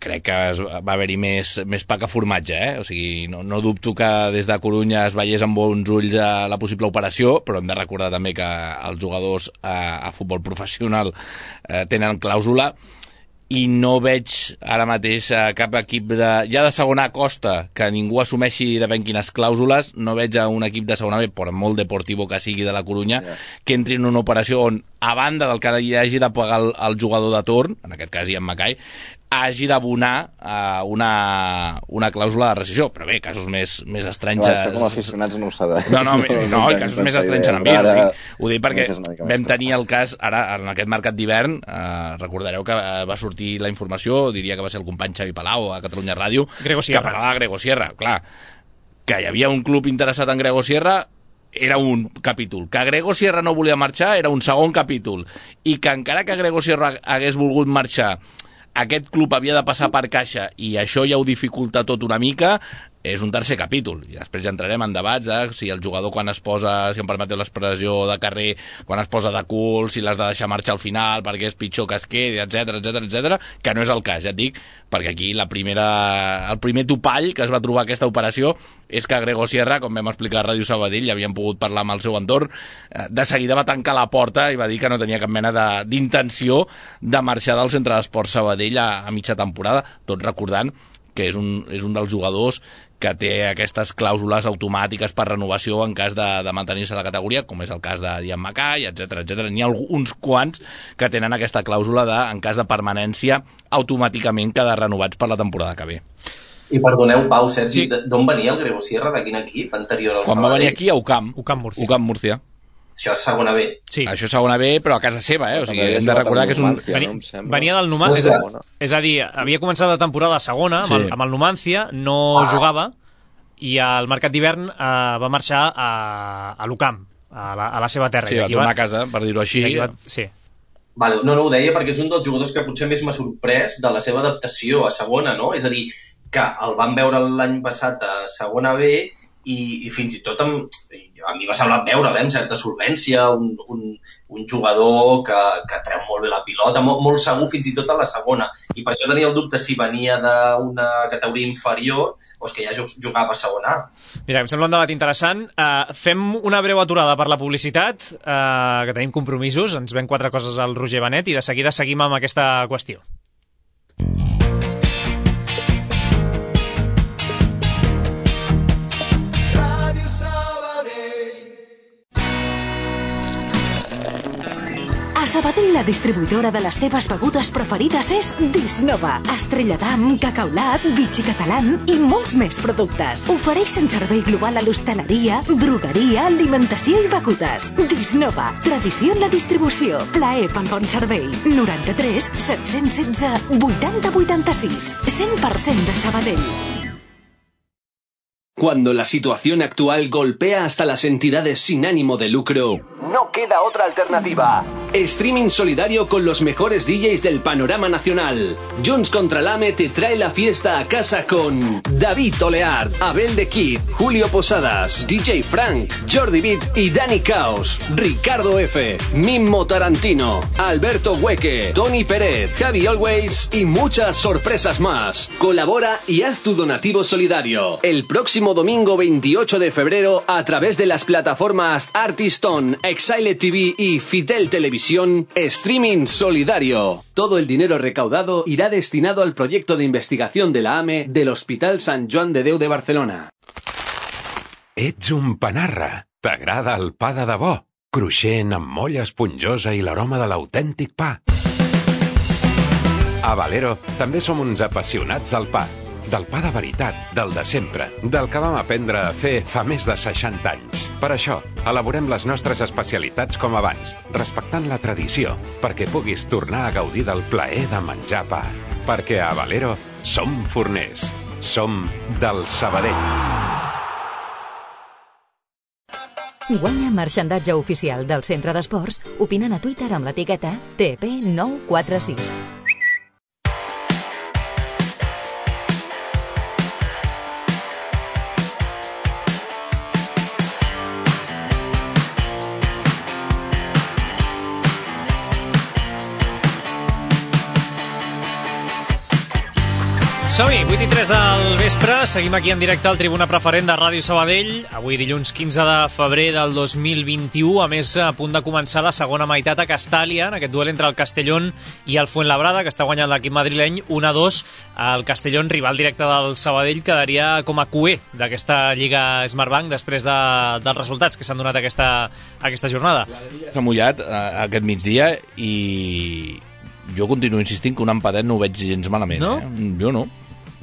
crec que va haver-hi més, més pa que formatge, eh? O sigui, no, no dubto que des de Corunya es veiés amb bons ulls a la possible operació, però hem de recordar també que els jugadors a, a futbol professional eh, tenen clàusula, i no veig ara mateix a cap equip de, ja de segona costa que ningú assumeixi de ben quines clàusules, no veig a un equip de segona B, per molt deportivo que sigui de la Corunya, yeah. que entri en una operació on, a banda del que hi hagi de pagar el, el jugador de torn, en aquest cas Ian Macai, hagi d'abonar uh, una, una clàusula de rescissió. Però bé, casos més, més estranys... Clar, això com a aficionats no ho sabem. No, no, no, no casos més estranys en ambient. Ho dic, ho dic perquè vam tenir el cas, ara, en aquest mercat d'hivern, uh, recordareu que va sortir la informació, diria que va ser el company Xavi Palau a Catalunya Ràdio, Grego Sierra. que parlava de Grego Sierra. Clar, que hi havia un club interessat en Grego Sierra era un capítol. Que Grego Sierra no volia marxar era un segon capítol. I que encara que Grego Sierra hagués volgut marxar, aquest club havia de passar per caixa i això ja ho dificulta tot una mica, és un tercer capítol, i després ja entrarem en debats de si el jugador quan es posa, si em permeteu l'expressió de carrer, quan es posa de cul, si l'has de deixar marxar al final perquè és pitjor que es quedi, etcètera, etcètera, etcètera, que no és el cas, ja et dic, perquè aquí la primera, el primer topall que es va trobar aquesta operació és que Grego Sierra, com vam explicar a Ràdio Sabadell, ja havíem pogut parlar amb el seu entorn, de seguida va tancar la porta i va dir que no tenia cap mena d'intenció de, de marxar del Centre d'Esports Sabadell a, a mitja temporada, tot recordant que és un, és un dels jugadors que té aquestes clàusules automàtiques per renovació en cas de, de mantenir-se a la categoria, com és el cas de Dian Mackay, etcètera, etcètera. N'hi ha uns quants que tenen aquesta clàusula de, en cas de permanència, automàticament quedar renovats per la temporada que ve. I perdoneu, Pau, Sergi, sí. D'on venia el Grego Sierra? De quin equip anterior al Quan Sabadell? va venir aquí a U C A M. U C A M Múrcia. U C A M Múrcia. Això és segona B. Sí. Això és segona B, però a casa seva, eh? O sigui, hem de recordar que és un... Venia, venia del Numancia, és, és a dir, havia començat la temporada segona amb, sí. el, amb el Numancia, no ah. jugava, i al mercat d'hivern eh, va marxar a, a l'U C A M, a la, a la seva terra. Sí, va tornar va... a casa, per dir-ho així. Va... Sí. Vale, no, no ho deia perquè és un dels jugadors que potser més m'ha sorprès de la seva adaptació a segona, no? És a dir, que el van veure l'any passat a segona B i, i fins i tot amb, a mi m'ha semblat veure'l, eh, amb certa solvència, un, un, un jugador que, que treu molt bé la pilota, molt, molt segur fins i tot a la segona. I per això tenia el dubte si venia d'una categoria inferior o és que ja jugava a segona A. Mira, em sembla un debat interessant. Uh, fem una breu aturada per la publicitat, uh, que tenim compromisos, ens ven quatre coses al Roger Benet i de seguida seguim amb aquesta qüestió. A Sabadell, la distribuïdora de les teves begudes preferides és Disnova. Estrella d'Am, Cacaulat, Vichy Catalán i molts més productes. Ofereixen servei global a l'hostaleria, drogueria, alimentació i begudes. Disnova. Tradició en la distribució. Plaer pel bon servei. noranta-tres set-cents setze vuitanta vuitanta-sis. cent per cent de Sabadell. Cuando la situación actual golpea hasta las entidades sin ánimo de lucro, no queda otra alternativa. Streaming solidario con los mejores D Js del panorama nacional. Junts contra l'A M E te trae la fiesta a casa con David Oleart, Abel de Kid, Julio Posadas, D J Frank, Jordi Beat y Dani Caos, Ricardo F, Mimmo Tarantino, Alberto Hueque, Tony Pérez, Javi Always y muchas sorpresas más. Colabora y haz tu donativo solidario. El próximo domingo veintiocho de febrero a través de las plataformas Artiston, Exile T V y Fitel Televisión, Streaming Solidario. Todo el dinero recaudado irá destinado al proyecto de investigación de la A M E del Hospital Sant Joan de Déu de Barcelona. Ets un panarra. T'agrada el pa de debò? Cruixent, amb molla esponjosa i l'aroma de l'autèntic pa. A Valero també som uns apassionats del pa. Del pa de veritat, del de sempre, del que vam aprendre a fer fa més de seixanta anys. Per això, elaborem les nostres especialitats com abans, respectant la tradició, perquè puguis tornar a gaudir del plaer de menjar pa. Perquè a Valero som forners, som del Sabadell. Guanya marxandatge oficial del Centre d'Esports opinant a Twitter amb l'etiqueta T P nou quatre sis. Som-hi, vuit i tres del vespre, seguim aquí en directe al Tribuna Preferent de Ràdio Sabadell, avui dilluns quinze de febrer del dos mil vint-i-u, a més a punt de començar la segona meitat a Castàlia, en aquest duel entre el Castellón i el Fuenlabrada, que està guanyant l'equip madrileny un a dos. El Castellón, rival directe del Sabadell, quedaria com a cuer d'aquesta Lliga Smartbank després de, dels resultats que s'han donat aquesta, aquesta jornada. S'ha mullat eh, aquest migdia i jo continuo insistint que un empatet no ho veig gens malament. No? Eh? Jo no.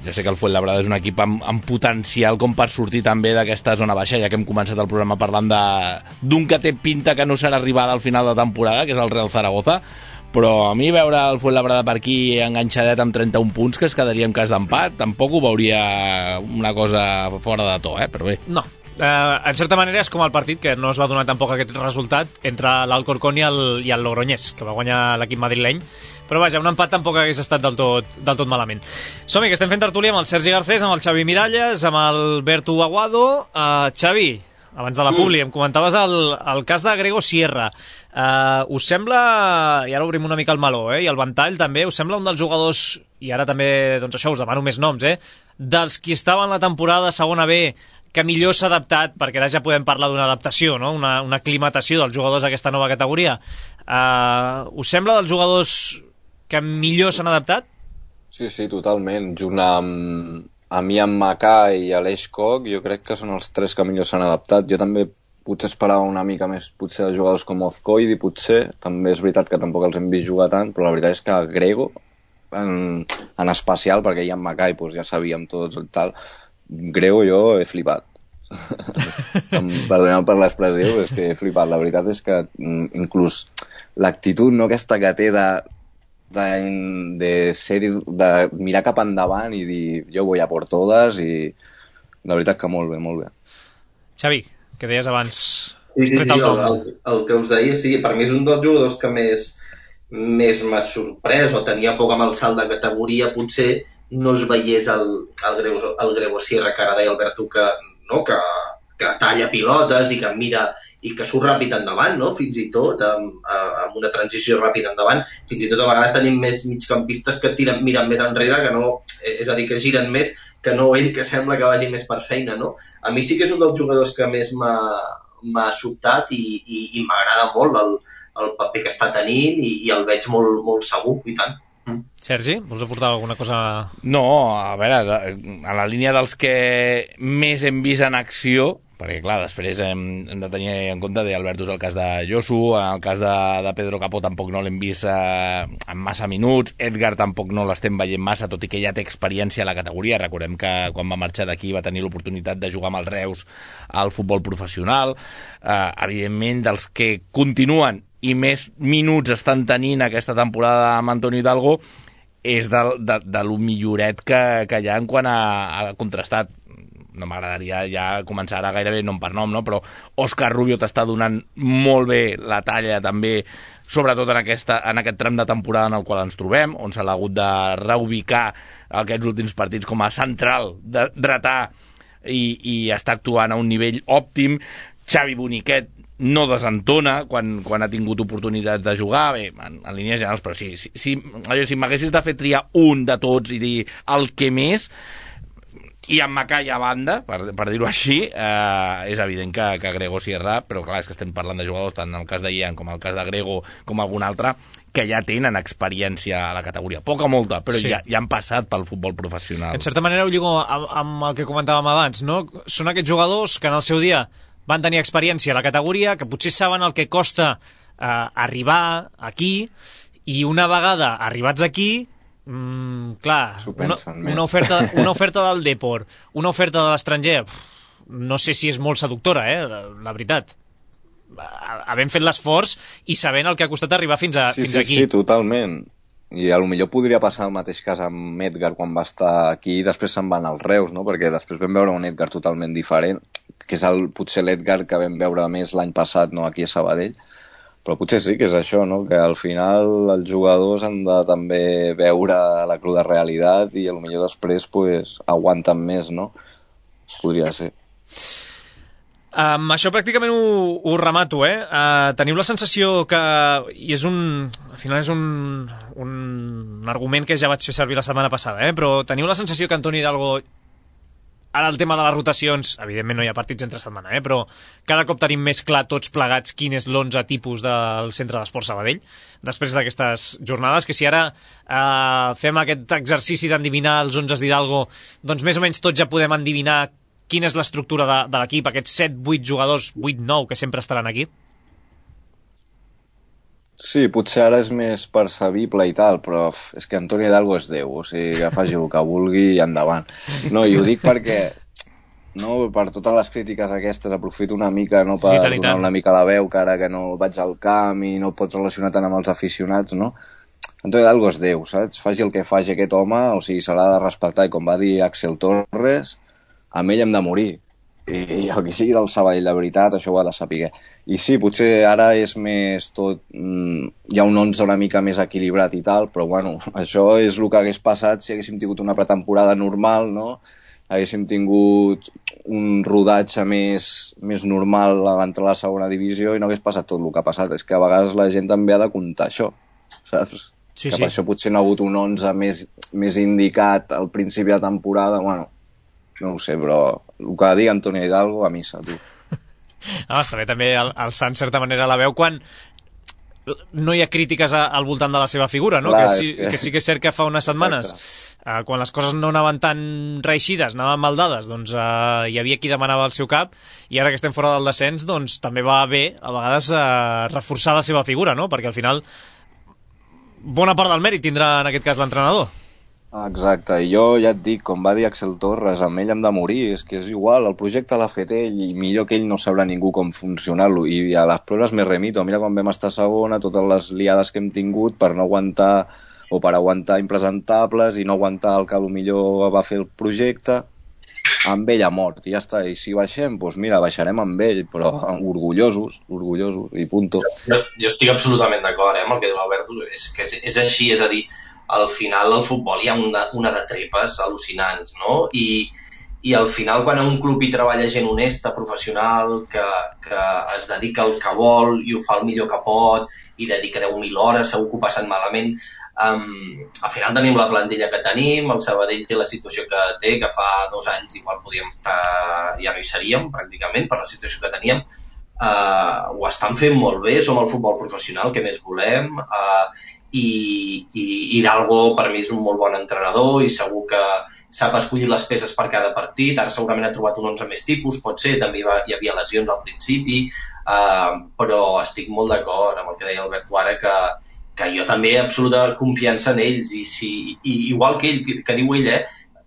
Ja sé que el Fuenlabrada és un equip amb, amb potencial com per sortir també d'aquesta zona baixa, ja que hem començat el programa parlant d'un que té pinta que no serà rival al final de temporada, que és el Real Zaragoza, però a mi veure el Fuenlabrada per aquí enganxadet amb trenta-un punts, que es quedaria en cas d'empat, tampoc ho veuria una cosa fora de to, eh? Però bé. No. Uh, en certa manera és com el partit que no es va donar tampoc aquest resultat entre l'Alcorcón i el, i el Logroñés, que va guanyar l'equip madrileny, però vaja, un empat tampoc hagués estat del tot, del tot malament. Som-hi, que estem fent tertúlia amb el Sergi Garcés, amb el Xavi Miralles, amb el Berto Aguado. uh, Xavi, abans de la publi, em comentaves el, el cas de Grego Sierra. Uh, us sembla, i ara obrim una mica el meló, eh, i el ventall també, us sembla un dels jugadors, i ara també, doncs això, us demano més noms, eh, dels qui estaven la temporada segona B, que millor s'ha adaptat, perquè ara ja podem parlar d'una adaptació, no? una, una aclimatació dels jugadors d'aquesta nova categoria. Uh, us sembla dels jugadors que millor s'han adaptat? Sí, sí, totalment. Junt amb, amb Ian Mackay i Aleix Koch, jo crec que són els tres que millor s'han adaptat. Jo també potser esperava una mica més, potser de jugadors com Ozcoidi, potser. També és veritat que tampoc els hem vist jugar tant, però la veritat és que Grego, en, en especial, perquè Ian Mackay doncs ja sabíem tots i tal, Grego jo he flipat. Perdoneu per l'expressió, és que he flipat. La veritat és que inclús l'actitud no aquesta que té de, de, de, ser, de mirar cap endavant i dir jo voy a por todas, i la veritat que molt bé, molt bé. Xavi, que deies abans... Sí, sí, sí, el, el, el que us deia, sí, per mi és un dels jugadors que més, més m'ha sorprès o tenia poc amb el salt de categoria, potser no es veiés el, el, Grego, el Grego Sierra, que ara deia Alberto, que, no, que, que talla pilotes i que mira i que surt ràpid endavant, no? Fins i tot amb, amb una transició ràpida endavant. Fins i tot a vegades tenim més migcampistes que tiren, miren més enrere, que no, és a dir, que giren més, que no ell, que sembla que vagi més per feina, no? A mi sí que és un dels jugadors que més m'ha, m'ha sobtat i, i, i m'agrada molt el, el paper que està tenint i, i el veig molt, molt segur, i tant. Sergi, vols aportar alguna cosa? No, a veure, a la línia dels que més hem vist en acció, perquè clar, després hem, hem de tenir en compte d'Alberto el cas de Josu, en el cas de, de Pedro Capó tampoc no l'hem vist eh, en massa minuts, Edgar tampoc no l'estem veient massa, tot i que ja té experiència a la categoria. Recordem que quan va marxar d'aquí va tenir l'oportunitat de jugar amb els Reus al futbol professional. Eh, evidentment, dels que continuen i més minuts estan tenint aquesta temporada amb Antoni Hidalgo és de, de, de lo milloret que, que hi ha en quant a, a contrastat. No m'agradaria ja començar ara gairebé nom per nom, no? Però Òscar Rubio t'està donant molt bé la talla també, sobretot en, aquesta, en aquest tram de temporada en el qual ens trobem, on s'ha hagut de reubicar aquests últims partits com a central de dretà i, i està actuant a un nivell òptim. Xavi Boniquet no desentona quan, quan ha tingut oportunitats de jugar, bé, en, en línies generals, però sí, si, si, si m'haguessis de fer triar un de tots i dir el que més, i en Mackay a banda, per, per dir-ho així, eh, és evident que, que Grego Sierra, però clar, és que estem parlant de jugadors tant en el cas de Ian com el cas de Grego com algun altre, que ja tenen experiència a la categoria. Poca o molta, però sí. ja, ja han passat pel futbol professional. En certa manera ho lligo amb, amb el que comentàvem abans, no? Són aquests jugadors que en el seu dia van tenir experiència a la categoria, que potser saben el que costa eh, arribar aquí, i una vegada arribats aquí, mmm, clar, una, una, oferta, una oferta del Depor, una oferta de l'estranger, no sé si és molt seductora, eh, la, la veritat. Havent fet l'esforç i sabent el que ha costat arribar fins, a, sí, fins sí, aquí. Sí, totalment. I a lo millor podria passar el mateix cas amb Edgar quan va estar aquí i després se'n van als Reus, no? Perquè després vam veure un Edgar totalment diferent, que és el, potser l'Edgar que vam veure més l'any passat, no, aquí a Sabadell, però potser sí que és això, no? Que al final els jugadors han de també veure la cruda realitat i a lo millor després pues, aguanten més, no? Podria ser. Um, això pràcticament ho, ho remato, eh? Uh, teniu la sensació que, i és un, al final és un, un argument que ja vaig fer servir la setmana passada, eh? Però teniu la sensació que Antoni Hidalgo, ara el tema de les rotacions, evidentment no hi ha partits entre setmana, eh? Però cada cop tenim més clar tots plegats quin és l'onze tipus del Centre d'Esport Sabadell, després d'aquestes jornades, que si ara uh, fem aquest exercici d'endevinar els onzes d'Hidalgo, doncs més o menys tots ja podem endevinar quina és l'estructura de, de l'equip, aquests set vuit jugadors, vuit nou, que sempre estaran aquí? Sí, potser ara és més percebible i tal, però és que Antoni Hidalgo és Déu, o sigui, que faci el que vulgui i endavant. No, i ho dic perquè, no, per totes les crítiques aquestes, aprofito una mica, no, per tant, donar una mica la veu, que ara que no vaig al camp i no pots relacionar tant amb els aficionats, no? Antoni Hidalgo és Déu, saps? Faci el que faci aquest home, o sigui, se l'ha de respectar, i com va dir Axel Torres, amb ell hem de morir. i el que sigui del Sabadell, la veritat, això ho ha de saber. I sí, potser ara és més tot... Mm, hi ha un onze una mica més equilibrat i tal, però bueno, això és el que hagués passat si haguéssim tingut una pretemporada normal, no? Haguéssim tingut un rodatge més, més normal a l'entrar a la segona divisió i no hagués passat tot el que ha passat. És que a vegades la gent també ha de comptar això, saps? Sí, que sí. Per això potser no ha hagut un onze més, més indicat al principi de temporada, bueno... No ho sé, però el que digui Antonio Hidalgo, a missa, tu. Ah, està bé també alçar en certa manera la veu quan no hi ha crítiques a, al voltant de la seva figura, no? Clar, que, sí, que... que sí que és cert que fa unes setmanes, uh, quan les coses no anaven tan reeixides, anaven mal dades, doncs uh, hi havia qui demanava el seu cap, i ara que estem fora del descens, doncs també va bé, a vegades, uh, reforçar la seva figura, no? Perquè al final bona part del mèrit tindrà en aquest cas l'entrenador. Exacte, i jo ja et dic, com va dir Axel Torres, amb ell hem de morir, és que és igual, el projecte l'ha fet ell i millor que ell no sabrà ningú com funcionar-lo, i a les proves me remito, mira quan vam estar segona, totes les liades que hem tingut per no aguantar, o per aguantar impresentables i no aguantar el que millor va fer el projecte, amb ell ha mort, i ja està, i si baixem, doncs mira, baixarem amb ell, però orgullosos, orgullosos, i punto. Jo, jo estic absolutament d'acord, eh, amb el que diu l'Albert, és que és, és així, és a dir, al final al futbol hi ha una, una de trepes al·lucinants, no? I, i al final quan a un club hi treballa gent honesta, professional, que, que es dedica al que vol i ho fa el millor que pot i dedica deu mil hores, segur que ho passen malament, um, al final tenim la plantilla que tenim, el Sabadell té la situació que té, que fa dos anys igual podíem estar, ja no hi seríem pràcticament per la situació que teníem, uh, ho estan fent molt bé, som el futbol professional, que més volem, uh, i, i Hidalgo per mi és un molt bon entrenador i segur que sap escollir les peces per cada partit, ara segurament ha trobat un onze més tipus, pot ser, també va, hi havia lesions al principi, uh, però estic molt d'acord amb el que deia Albert ara, que, que jo també he absoluta confiança en ells i, si, i igual que ell, que, que diu ell, eh,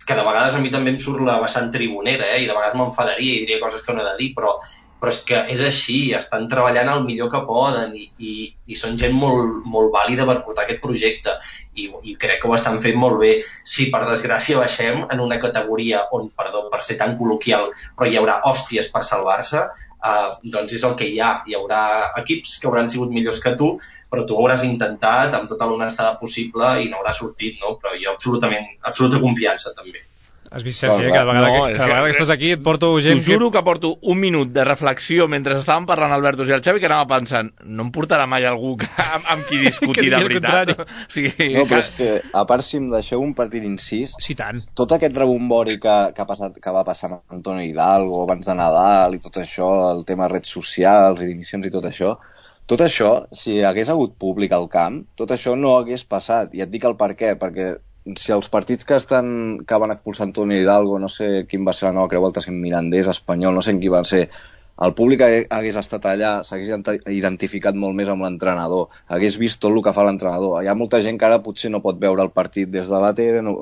que de vegades a mi també em surt la vessant tribunera eh, i de vegades m'enfadaria i diria coses que no he de dir, però però és que és així, estan treballant el millor que poden i, i, i són gent molt, molt vàlida per portar aquest projecte i, i crec que ho estan fent molt bé. Si per desgràcia baixem en una categoria on, perdó, per ser tan col·loquial, però hi haurà hòsties per salvar-se, eh, doncs és el que hi ha. Hi haurà equips que hauran sigut millors que tu, però tu ho hauràs intentat amb tota l'honestada possible i no haurà sortit, no? Però jo absolutament, absoluta confiança també. Has vist, Sergi, cada vegada, no, que, cada vegada que, que estàs aquí et porto gent... T'ho juro que... que porto un minut de reflexió mentre estàvem parlant Alberto i el Xavi que anava pensant, no em portarà mai algú que, amb, amb qui discutir de veritat. O sigui, no, però és que, a part, si em deixeu un partit incís, sí, tant. Tot aquest rebombori que, que, ha passat, que va passar amb Antonio Hidalgo abans de Nadal i tot això, el tema redes socials i dimissions i tot això, tot això, si hagués hagut públic al camp, tot això no hagués passat. I et dic el per què, perquè si els partits que estan que van expulsar Antonio Hidalgo, no sé quin va ser la nova Creu Alta, si Mirandés, Espanyol, no sé en qui va ser, el públic hagués estat allà, s'hagués identificat molt més amb l'entrenador, hagués vist tot el que fa l'entrenador. Hi ha molta gent que ara potser no pot veure el partit des de la tele, no...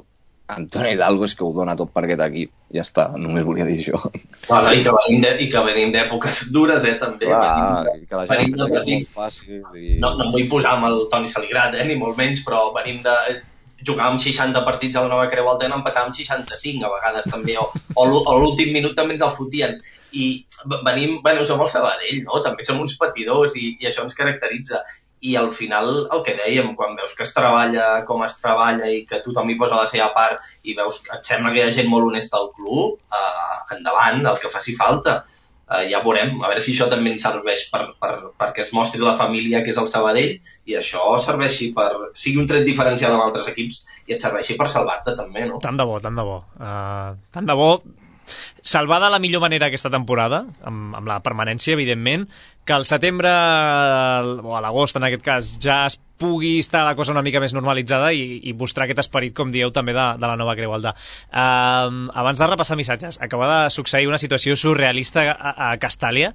Antonio Hidalgo és que ho dona tot per aquest equip, ja està, només volia dir això. Bueno, i que venim de, i que venim d'èpoques dures, eh, també. Clar, venim, que la gent de, és molt fàcil. I... No, no em vull posar amb el Toni Saligrat, eh, ni molt menys, però venim de... jugàvem seixanta partits a la Nova Creu Alta i n'empatàvem seixanta-cinc a vegades també, o, o l'últim minut també ens el fotien. I venim, bueno, som el Sabadell, no? També som uns patidors i, i això ens caracteritza. I al final, el que dèiem, quan veus que es treballa com es treballa i que tothom hi posa la seva part i veus que et sembla que hi ha gent molt honesta al club, eh, endavant, el que faci falta. Uh, ja veurem, a veure si això també ens serveix per, per, perquè es mostri la família que és el Sabadell i això serveixi per... sigui un tret diferencial amb altres equips i et serveixi per salvar-te també, no? Tant de bo, tant de bo. Uh, tant de bo salvar de la millor manera aquesta temporada, amb, amb la permanència, evidentment, que al setembre o a l'agost, en aquest cas, ja es pugui estar la cosa una mica més normalitzada i, i mostrar aquest esperit, com dieu, també de, de la Nova Creu Alta. Uh, abans de repassar missatges, acaba de succeir una situació surrealista a, a Castàlia.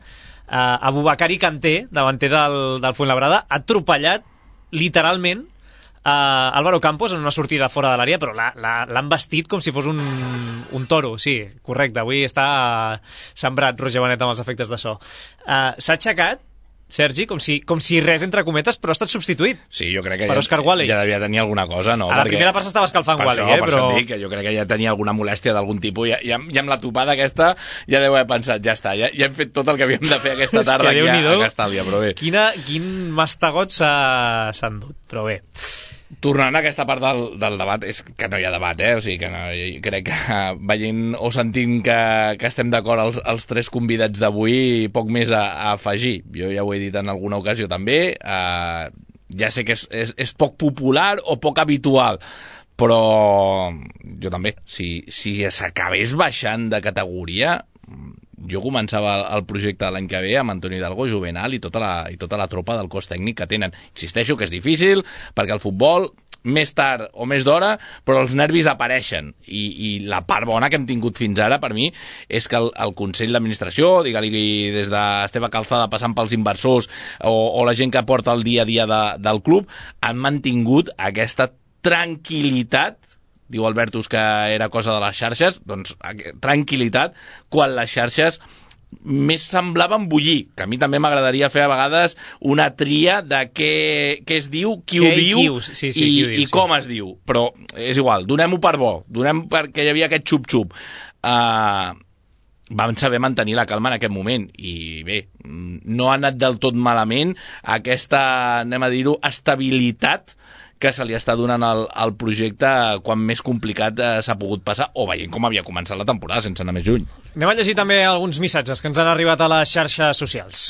Uh, Abubakari Kanté, davanter del, del Fuenlabrada, ha atropellat literalment Uh, Álvaro Campos en una sortida fora de l'àrea, però l'han vestit com si fos un, un toro, sí, correcte, avui està sembrat Roger Benet amb els efectes de so. Uh, s'ha aixecat Sergi, com si, com si res entre cometes, però ha estat substituït. Sí, jo crec que per ja, Oscar Wally. Ja devia tenir alguna cosa, no? A la Perquè primera part s'estava escalfant per Wally, això, eh? Per però... això dic que jo crec que ja tenia alguna molèstia d'algun tipus. Ja, ja, ja amb la topada aquesta ja deu haver pensat, ja està, ja, ja hem fet tot el que havíem de fer aquesta tarda aquí a, a Castàlia, però bé. Quina, quin mastegot s'ha endut, però bé. Tornant a aquesta part del, del debat, és que no hi ha debat, eh? O sigui, que no, crec que veient o sentint que, que estem d'acord els, els tres convidats d'avui, poc més a, a afegir. Jo ja ho he dit en alguna ocasió també, eh, ja sé que és, és, és poc popular o poc habitual, però jo també, si, si s'acabés baixant de categoria, jo començava el projecte l'any que ve amb Antoni Hidalgo, Juvenal i tota, la, i tota la tropa del cos tècnic que tenen. Insisteixo que és difícil, perquè el futbol, més tard o més d'hora, però els nervis apareixen. I, i la part bona que hem tingut fins ara, per mi, és que el, el Consell d'Administració, digue-li des d'Esteve Calzada passant pels inversors o, o la gent que porta el dia a dia de, del club, han mantingut aquesta tranquil·litat. Diu Albertus que era cosa de les xarxes, doncs tranquil·litat, quan les xarxes més semblaven bullir, que a mi també m'agradaria fer a vegades una tria de què, què es diu, qui ho diu, qui sí, sí, i, qui ho diu, i com sí. es diu, però és igual, donem-ho per bo, donem perquè hi havia aquest xup-xup. Uh, vam saber mantenir la calma en aquest moment i bé, no ha anat del tot malament aquesta, anem a dir-ho, estabilitat que se li està donant al, al projecte quan més complicat eh, s'ha pogut passar, o veient com havia començat la temporada, sense anar més lluny. Anem a llegir també alguns missatges que ens han arribat a les xarxes socials.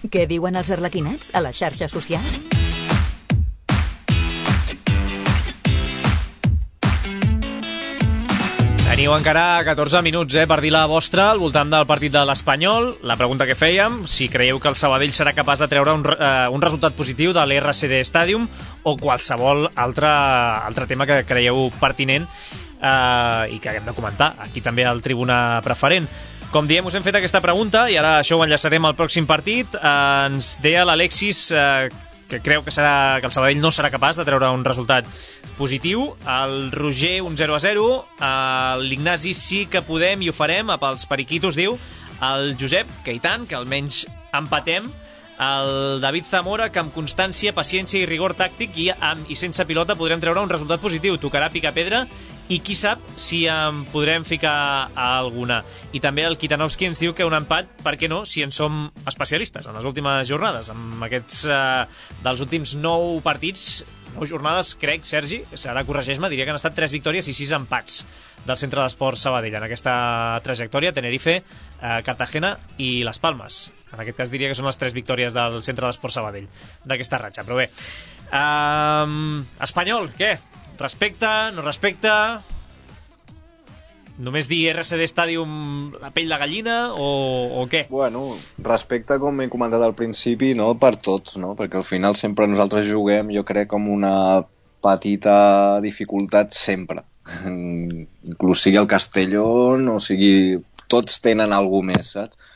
Què diuen els arlequinats a les xarxes socials? Teniu encara catorze minuts eh, per dir la vostra al voltant del partit de l'Espanyol. La pregunta que fèiem, si creieu que el Sabadell serà capaç de treure un, uh, un resultat positiu de l'R C D Stadium o qualsevol altre, altre tema que creieu pertinent uh, i que haguem de comentar aquí també al Tribuna Preferent. Com diem, us hem fet aquesta pregunta i ara això ho enllaçarem al pròxim partit. Uh, ens deia l'Alexis uh, que creu que, serà, que el Sabadell no serà capaç de treure un resultat positiu. El Roger, un zero a zero. L'Ignasi, sí que podem i ho farem, pels periquitos, diu. El Josep, que i tant, que almenys empatem. El David Zamora, que amb constància, paciència i rigor tàctic i, amb, i sense pilota podrem treure un resultat positiu. Tocarà picar pedra i qui sap si en podrem ficar alguna. I també el Kitanovski ens diu que un empat, per què no, si en som especialistes en les últimes jornades. Amb aquests eh, dels últims nou partits, nou jornades, crec, Sergi, ara corregeix-me, diria que han estat tres victòries i sis empats del Centre d'Esports Sabadell en aquesta trajectòria. Tenerife, eh, Cartagena i Les Palmes. En aquest cas diria que són les tres victòries del Centre d'Esports Sabadell d'aquesta ratxa, però bé. Um, Espanyol, què? Respecta, no respecta? Només dir R C D Stadium la pell de gallina o, o què? Bueno, respecte, com he comentat al principi, no per tots, no? Perquè al final sempre nosaltres juguem, jo crec, com una petita dificultat sempre. Inclús sigui el Castellón o sigui... Tots tenen alguna més, saps?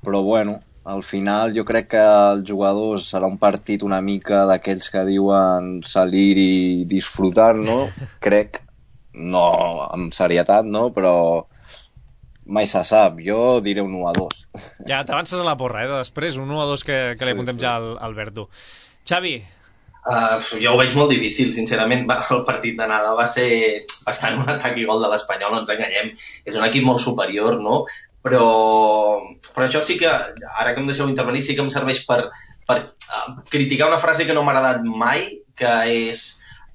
Però bueno, al final jo crec que els jugadors serà un partit una mica d'aquells que diuen salir i disfrutar, no? Crec, no amb serietat, no? Però mai se sap, jo diré un u a dos. Ja t'avances a la porra, eh? Després un u a dos que, que li apuntem sí, sí. ja al Alberto. Xavi? Uh, jo ho veig molt difícil, sincerament. Va, el partit d'anada va ser bastant un atac i gol de l'Espanyol, no ens enganyem. És un equip molt superior, no? Però, però això sí que, ara que em deixeu intervenir, sí que em serveix per, per uh, criticar una frase que no m'ha agradat mai, que és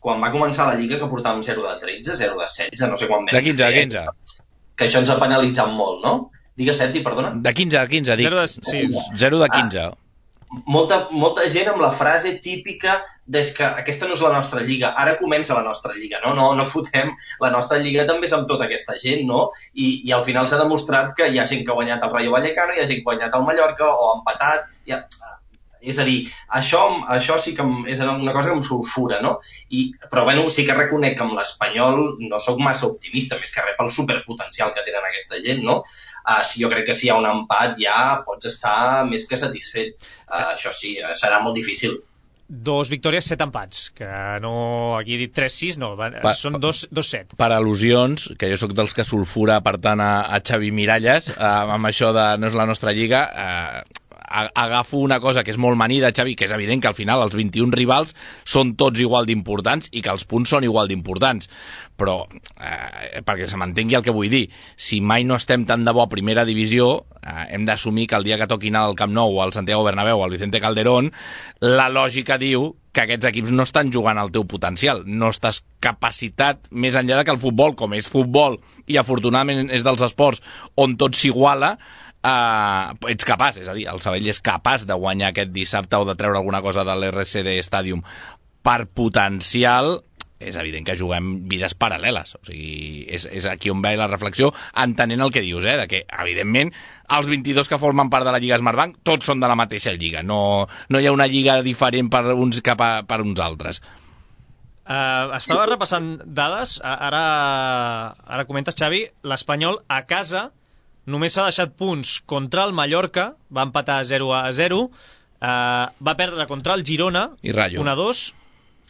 quan va començar la Lliga que portàvem zero de tretze, zero de setze, no sé quan vam de quinze, fer, quinze. Que això ens ha penalitzat molt, no? Digues, Sergi, perdona. De quinze a quinze, dic. zero de, sí. zero de quinze. Ah. Molta, molta gent amb la frase típica des que aquesta no és la nostra lliga, ara comença la nostra lliga, no? No, no fotem, la nostra lliga també és amb tota aquesta gent, no? I, i al final s'ha demostrat que hi ha gent que ha guanyat el Rayo Vallecano, hi ha gent que ha guanyat el Mallorca o ha empatat, ha... és a dir, això, això sí que és una cosa que em sulfura, no? I, però bueno, sí que reconec que amb l'Espanyol no sóc massa optimista, més que res pel superpotencial que tenen aquesta gent, no? Uh, si jo crec que si hi ha un empat ja pots estar més que satisfet. Uh, això sí, serà molt difícil. dos victòries, set empats, que no, aquí he dit tres sis, no, van, pa, són dos set. Per al·lusions, que jo sóc dels que sulfura, per tant, a, a Xavi Miralles, eh, amb això de no és la nostra lliga, eh, agafo una cosa que és molt manida, Xavi, que és evident que al final els vint-i-un rivals són tots igual d'importants i que els punts són igual d'importants, però eh, perquè se m'entengui el que vull dir, si mai no estem tan de bo a primera divisió, eh, hem d'assumir que el dia que toqui anar al Camp Nou, al Santiago Bernabéu, al Vicente Calderón, la lògica diu que aquests equips no estan jugant al teu potencial, no estàs capacitat més enllà de que el futbol, com és futbol i afortunadament és dels esports on tot s'iguala, Uh, ets capaç, és a dir, el Sabadell és capaç de guanyar aquest dissabte o de treure alguna cosa de l'R C D Stadium. Per potencial, és evident que juguem vides paral·leles, o sigui, és, és aquí on ve la reflexió, entenent el que dius, eh, de que, evidentment, els vint-i-dos que formen part de la Lliga Smartbank tots són de la mateixa lliga, no, no hi ha una lliga diferent per uns cap a, per uns altres. Uh, estava repassant dades, ara, ara comentes, Xavi, l'Espanyol a casa només s'ha deixat punts contra el Mallorca, va empatar zero a zero, uh, va perdre contra el Girona, un a dos,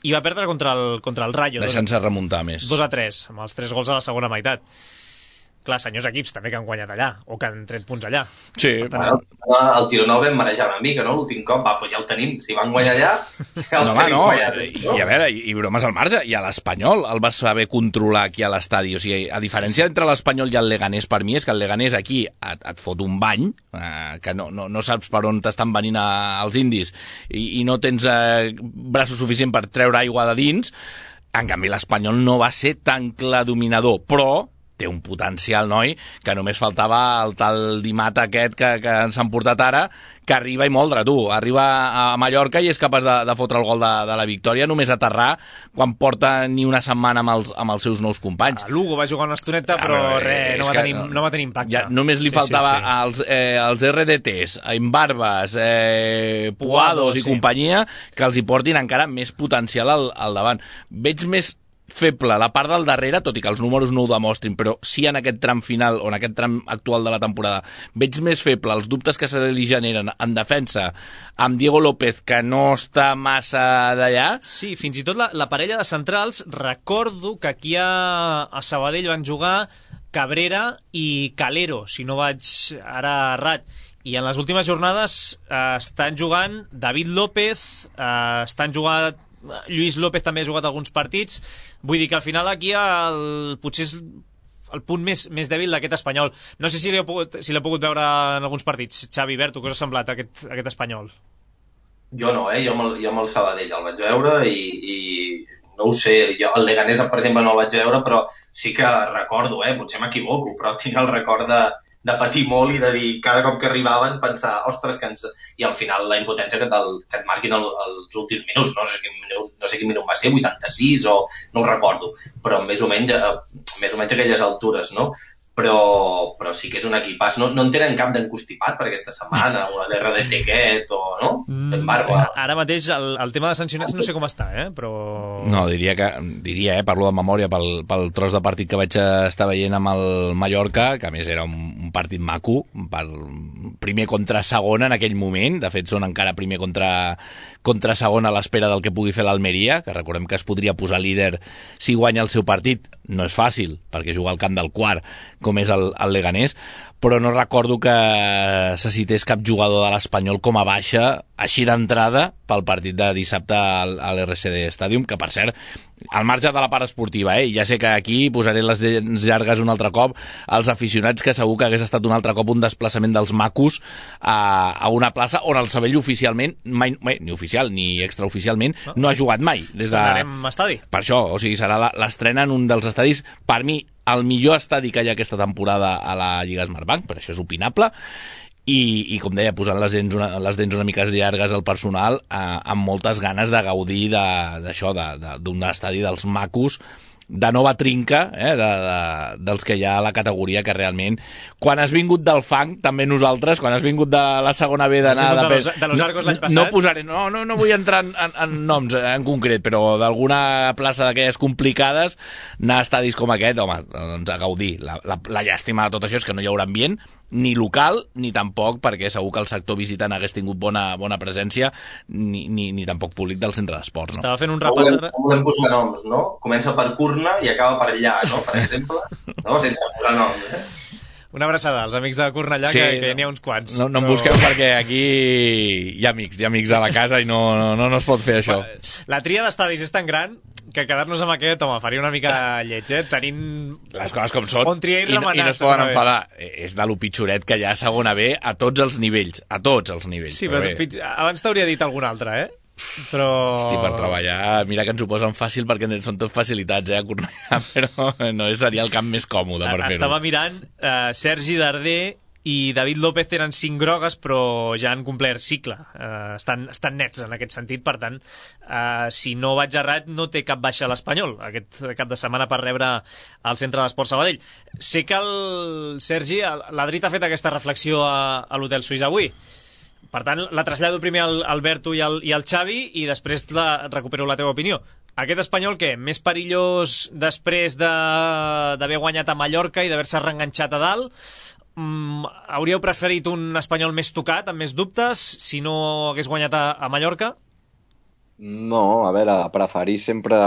i va perdre contra el, contra el Rayo. Deixant-se remuntar més. dos a tres, amb els tres gols a la segona meitat. Clar, senyors equips també que han guanyat allà, o que han tret punts allà. Sí. Tant, bueno, el Girona el vam marejar una mica, no? L'últim cop, va, doncs ja ho tenim. Si van guanyar allà, ja el no, tenim no, guanyat. I, i a veure, i, i bromes al marge, i a l'Espanyol el vas saber controlar aquí a l'estadi. O sigui, a diferència entre l'Espanyol i el Leganés, per mi, és que el Leganés aquí et, et fot un bany, eh, que no, no, no saps per on t'estan venint a, als indis, i, i no tens eh, braços suficient per treure aigua de dins. En canvi, l'Espanyol no va ser tan clar dominador, però té un potencial, noi, que només faltava el tal Dimat aquest que, que ens han portat ara, que arriba i moldre, tu. Arriba a Mallorca i és capaç de, de fotre el gol de, de la victòria, només aterrar quan porta ni una setmana amb els, amb els seus nous companys. A Lugo va jugar una estoneta, però ah, res, no va, tenir, no va tenir impacte. Ja, només li sí, faltava sí, sí. Els, eh, els R D Ts, Imbarbas, eh, Puados i sí. companyia, que els hi portin encara més potencial al, al davant. Veig més feble la part del darrere, tot i que els números no ho demostrin, però sí en aquest tram final o en aquest tram actual de la temporada veig més feble els dubtes que se li generen en defensa amb Diego López, que no està massa d'allà. Sí, fins i tot la, la parella de centrals, recordo que aquí a, a Sabadell van jugar Cabrera i Calero, si no vaig ara errat, i en les últimes jornades eh, estan jugant David López, eh, estan jugant Lluís López, també ha jugat alguns partits. Vull dir que al final aquí el, potser és el punt més, més dèbil d'aquest Espanyol. No sé si l'he pogut, si l'he pogut veure en alguns partits. Xavi, Berto, què us ha semblat aquest, aquest Espanyol? Jo no, eh? Jo amb el, jo amb el Sabadell el vaig veure i, i no ho sé, jo el Leganés, per exemple, no el vaig veure, però sí que recordo, eh? Potser m'equivoco, però tinc el record de de patir molt i de dir, cada cop que arribaven, pensar, ostres, que ens... I al final la impotència que, del, que et marquin el, els últims minuts, no sé, quin minut, no sé quin minut va ser, vuitanta-sis o no ho recordo, però més o menys, més o menys a aquelles altures, no? Però, però sí que és un equipàs. No, no en tenen cap d'encostipat per aquesta setmana, o l'R D T aquest, o no? Mm, Barba. Ara mateix el, el tema de sancionats no sé com està, eh? Però... No, diria que, diria, eh, parlo de memòria pel, pel tros de partit que vaig estar veient amb el Mallorca, que a més era un, un partit maco, per primer contra segon en aquell moment, de fet són encara primer contra, contra segon a l'espera del que pugui fer l'Almeria, que recordem que es podria posar líder si guanya el seu partit. No és fàcil, perquè juga al camp del quart, com és el, el Leganés, però no recordo que se cités cap jugador de l'Espanyol com a baixa, així d'entrada, pel partit de dissabte al, a l'R C D Stadium, que per cert, al marge de la part esportiva, eh? Ja sé que aquí posaré les llargues un altre cop als aficionats, que segur que hagués estat un altre cop un desplaçament dels macos a, a una plaça on el Sabadell oficialment, mai, mai, ni oficial ni extraoficialment, no, no ha jugat mai. Des de... Estrenarem estadi. Per això, o sigui, serà l'estrena en un dels estadis, per mi, el millor estadi que hi ha aquesta temporada a la Lliga Smartbank, però això és opinable, i, i com deia, posant les dents una, les dents una mica llargues al personal, eh, amb moltes ganes de gaudir d'això, de, de, d'un estadi dels macos, de nova trinca, eh, de, de, dels que hi ha a la categoria, que realment, quan has vingut del fang, també nosaltres, quan has vingut de la segona B d'anar... De, de, de los Arcos l'any passat. No posaré, no, no, no vull entrar en, en, en noms en concret, però d'alguna plaça d'aquelles complicades, anar a estadis com aquest, home, doncs a gaudir. La, la, la llàstima de tot això és que no hi haurà ambient, ni local, ni tampoc, perquè segur que el sector visitant hagués tingut bona, bona presència, ni, ni, ni tampoc públic del centre d'esports. No? Estava fent un repàs... No volem, no volem posar noms, no? Comença per Curna i acaba per allà, no? Per exemple, no? Sense posar noms, eh? Una abraçada als amics de Cornellà, sí, que, que n'hi ha uns quants. No, no em busqueu però... perquè aquí hi ha amics, hi ha amics a la casa i no, no, no, no es pot fer això. La tria d'estadis és tan gran que quedar-nos amb aquest, home, faria una mica lleig, eh? Tenint... Les coses com són. On triar i I, remenar. I no es poden enfadar. És de lo pitjoret que hi ha a segona B a tots els nivells. A tots els nivells. Sí, però, però pitj... abans t'hauria dit algun altre, eh? Però... Hosti, per treballar, mira que ens ho posen fàcil perquè són tot facilitats, eh, a Cornellà, però no seria el camp més còmode per fer-ho. Estava mirant, eh, Sergi Darder i David López tenen cinc grogues, però ja han complert cicle. Eh, estan, estan nets en aquest sentit, per tant, eh, si no vaig errat, no té cap baixa a l'Espanyol aquest cap de setmana per rebre al Centre d'Esport Sabadell. Sé que el Sergi, l'Adrit ha fet aquesta reflexió a, a l'Hotel Suís avui. Per tant, la trasllado primer al Alberto i al, i al Xavi i després la, recupero la teva opinió. Aquest Espanyol, què? Més perillós després d'haver de, guanyat a Mallorca i d'haver-se reenganxat a dalt? Mm, hauríeu preferit un Espanyol més tocat, amb més dubtes, si no hagués guanyat a, a Mallorca? No, a veure, preferir sempre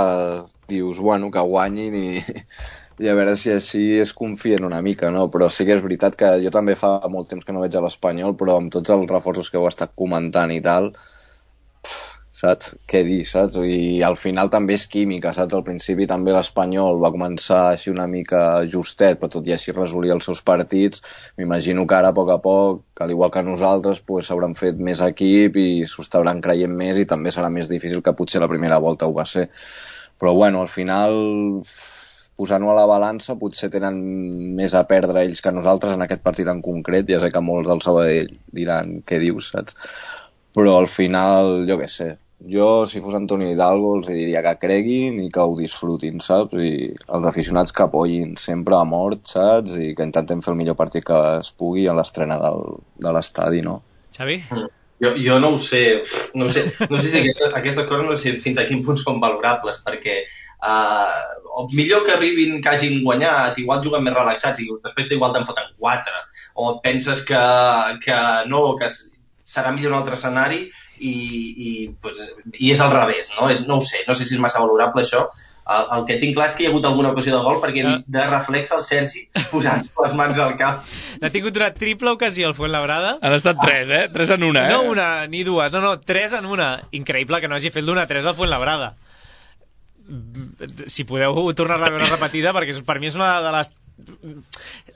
dius, bueno, que guanyin i... i a veure si així es confien una mica, no? Però sí que és veritat que jo també fa molt temps que no veig a l'Espanyol, però amb tots els reforços que heu estat comentant i tal, pff, saps? Què dir, saps? I al final també és química, saps? Al principi també l'Espanyol va començar així una mica justet, però tot i així resolia els seus partits. M'imagino que ara, a poc a poc, que al igual que nosaltres, pues, s'hauran fet més equip i s'ho estaran creient més i també serà més difícil que potser la primera volta ho va ser. Però bueno, al final... posant-ho a la balança, potser tenen més a perdre ells que nosaltres en aquest partit en concret. Ja sé que molts del Sabadell diran què dius, saps? Però al final, jo què sé, jo si fos Antonio Hidalgo els diria que creguin i que ho disfrutin, saps? I els aficionats que apoyin sempre a mort, saps? I que intentem fer el millor partit que es pugui a l'estrena del, de l'estadi, no? Xavi? Jo, jo no ho sé, no ho sé, no sé si aquestes, aquestes coses no sé fins a quin punt són valorables, perquè Uh, millor que arribin, que hagin guanyat, igual juguen més relaxats i després igual te'n foten quatre, o penses que, que no, que serà millor un altre escenari i, i, pues, i és al revés, no? És, no ho sé, no sé si és massa valorable això. El, el que tinc clar és que hi ha hagut alguna ocasió de gol perquè he vist de reflex el Sergi posant les mans al cap. N'ha tingut una triple ocasió al Fuenlabrada. Han estat tres, eh? Tres en una, eh? No una, ni dues, no, no, tres en una. Increïble que no hagi fet l'una tres al Fuenlabrada. Si podeu tornar-la a veure repetida, perquè per mi és una de les...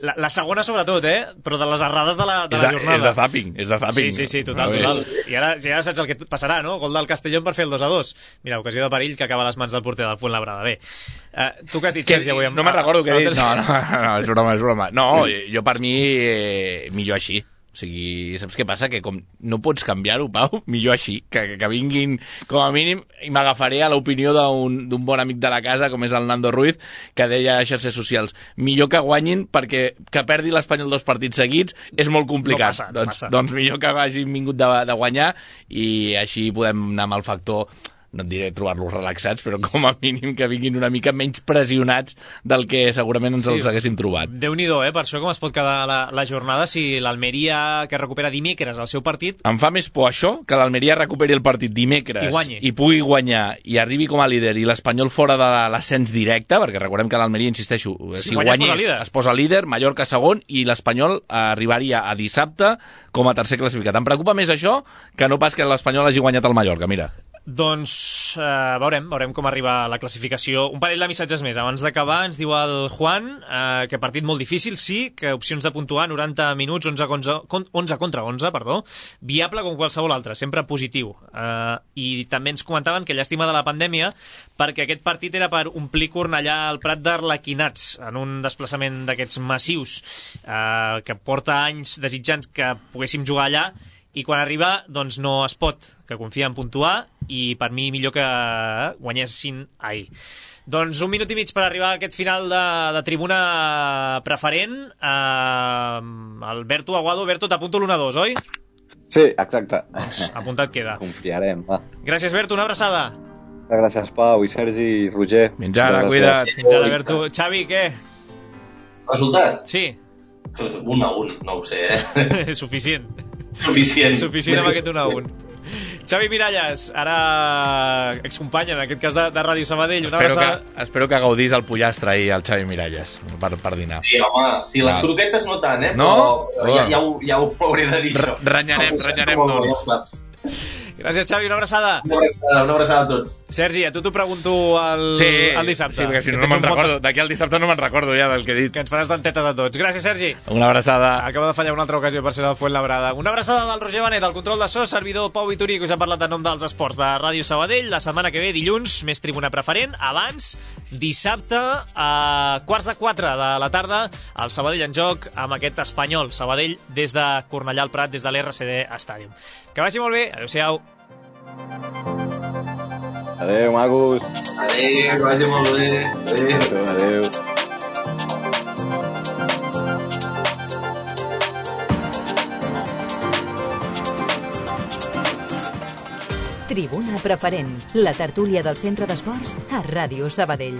La, la segona sobretot, eh? Però de les errades de la, de la jornada. És de zapping, és de zapping. Sí, sí, sí, total, total. I ara ja saps el que passarà, no? Gol del Castellón per fer el dos a dos. Mira, ocasió de perill que acaba a les mans del porter del Fuenlabrada. Bé, uh, tu que has dit, Sergi, avui... Amb... No me'n recordo què he dit. No, no, no, és broma, és broma. No, jo per mi eh, millor així. O sigui, saps què passa? Que com no pots canviar-ho, Pau, millor així. Que, que vinguin, com a mínim, i m'agafaré a l'opinió d'un bon amic de la casa, com és el Nando Ruiz, que deia a xarxes socials, millor que guanyin perquè que perdi l'Espanyol dos partits seguits és molt complicat. No passa, no doncs, passa. doncs millor que hagin vingut de, de guanyar i així podem anar amb el factor... no et diré trobar-los relaxats, però com a mínim que vinguin una mica menys pressionats del que segurament ens sí, els haguessin trobat. Déu-n'hi-do, eh? Per això com es pot quedar la, la jornada si l'Almeria, que recupera dimecres el seu partit... Em fa més por això, que l'Almeria recuperi el partit dimecres i, i pugui guanyar i arribi com a líder i l'Espanyol fora de l'ascens directe, perquè recordem que l'Almeria, insisteixo, si, si guanyés, es, es posa líder, Mallorca segon i l'Espanyol arribaria a dissabte com a tercer classificat. Em preocupa més això que no pas que l'Espanyol hagi guanyat el Mallorca, mira. Doncs eh, veurem, veurem com arriba la classificació. Un parell de missatges més. Abans d'acabar ens diu el Juan eh, que partit molt difícil, sí, que opcions de puntuar noranta minuts, onze, onze, onze contra onze, perdó, viable com qualsevol altre, sempre positiu. Eh, I també ens comentaven que llàstima de la pandèmia perquè aquest partit era per omplir Cornellà al Prat d'Arlequinats en un desplaçament d'aquests massius eh, que porta anys desitjant que poguéssim jugar allà i quan arriba doncs no es pot, que confia en puntuar i per mi millor que guanyessin ahir. Doncs un minut i mig per arribar a aquest final de, de tribuna preferent. uh, Alberto Aguado, Berto, t'apunto l'u a dos, oi? Sí, exacte. Doncs apuntat queda. Confiarem, va. Gràcies, Berto, una abraçada. Gràcies, Pau, i Sergi, i Roger. Fins ara, cuida't. Fins ara, Berto. Xavi, què? Resultat? Sí. Un a un, no ho sé, eh? Suficient. Suficient. Suficient amb aquest un a un. Xavi Miralles, ara excompany, en aquest cas de, de Ràdio Sabadell. Una espero, abraçada... que, espero que gaudís el pollastre ahir al Xavi Miralles per, per dinar. Sí, home, sí, les croquetes no tant, eh? No? Però ja, ja, ho, ja ho hauré de dir, això. Renyarem, renyarem tots. Gràcies, Xavi, una abraçada. Una abraçada, una abraçada a tots. Sergi, a tu t'ho pregunto el, sí, el dissabte. Sí, perquè si no, no me'n recordo. D'aquí al dissabte no me'n recordo ja del que he dit. Que ens faràs dentetes a tots. Gràcies, Sergi. Una abraçada. Acaba de fallar una altra ocasió per ser el Fuentlabrada. Una abraçada del Roger Benet, el control de so, servidor Pau Vituri, que us ha parlat en nom dels esports de Ràdio Sabadell. La setmana que ve, dilluns, més tribuna preferent. Abans, dissabte, a quarts de quatre de la tarda, el Sabadell en joc amb aquest Espanyol. Sabadell des de Cornellà al Prat, des de l'R C D Stadium. Que vagi molt bé. Adéu-siau. Adéu, magos. Adéu, que vagi molt bé. Adéu. Adéu. Tribuna preferent, la tertúlia del Centre d'Esports a Ràdio Sabadell.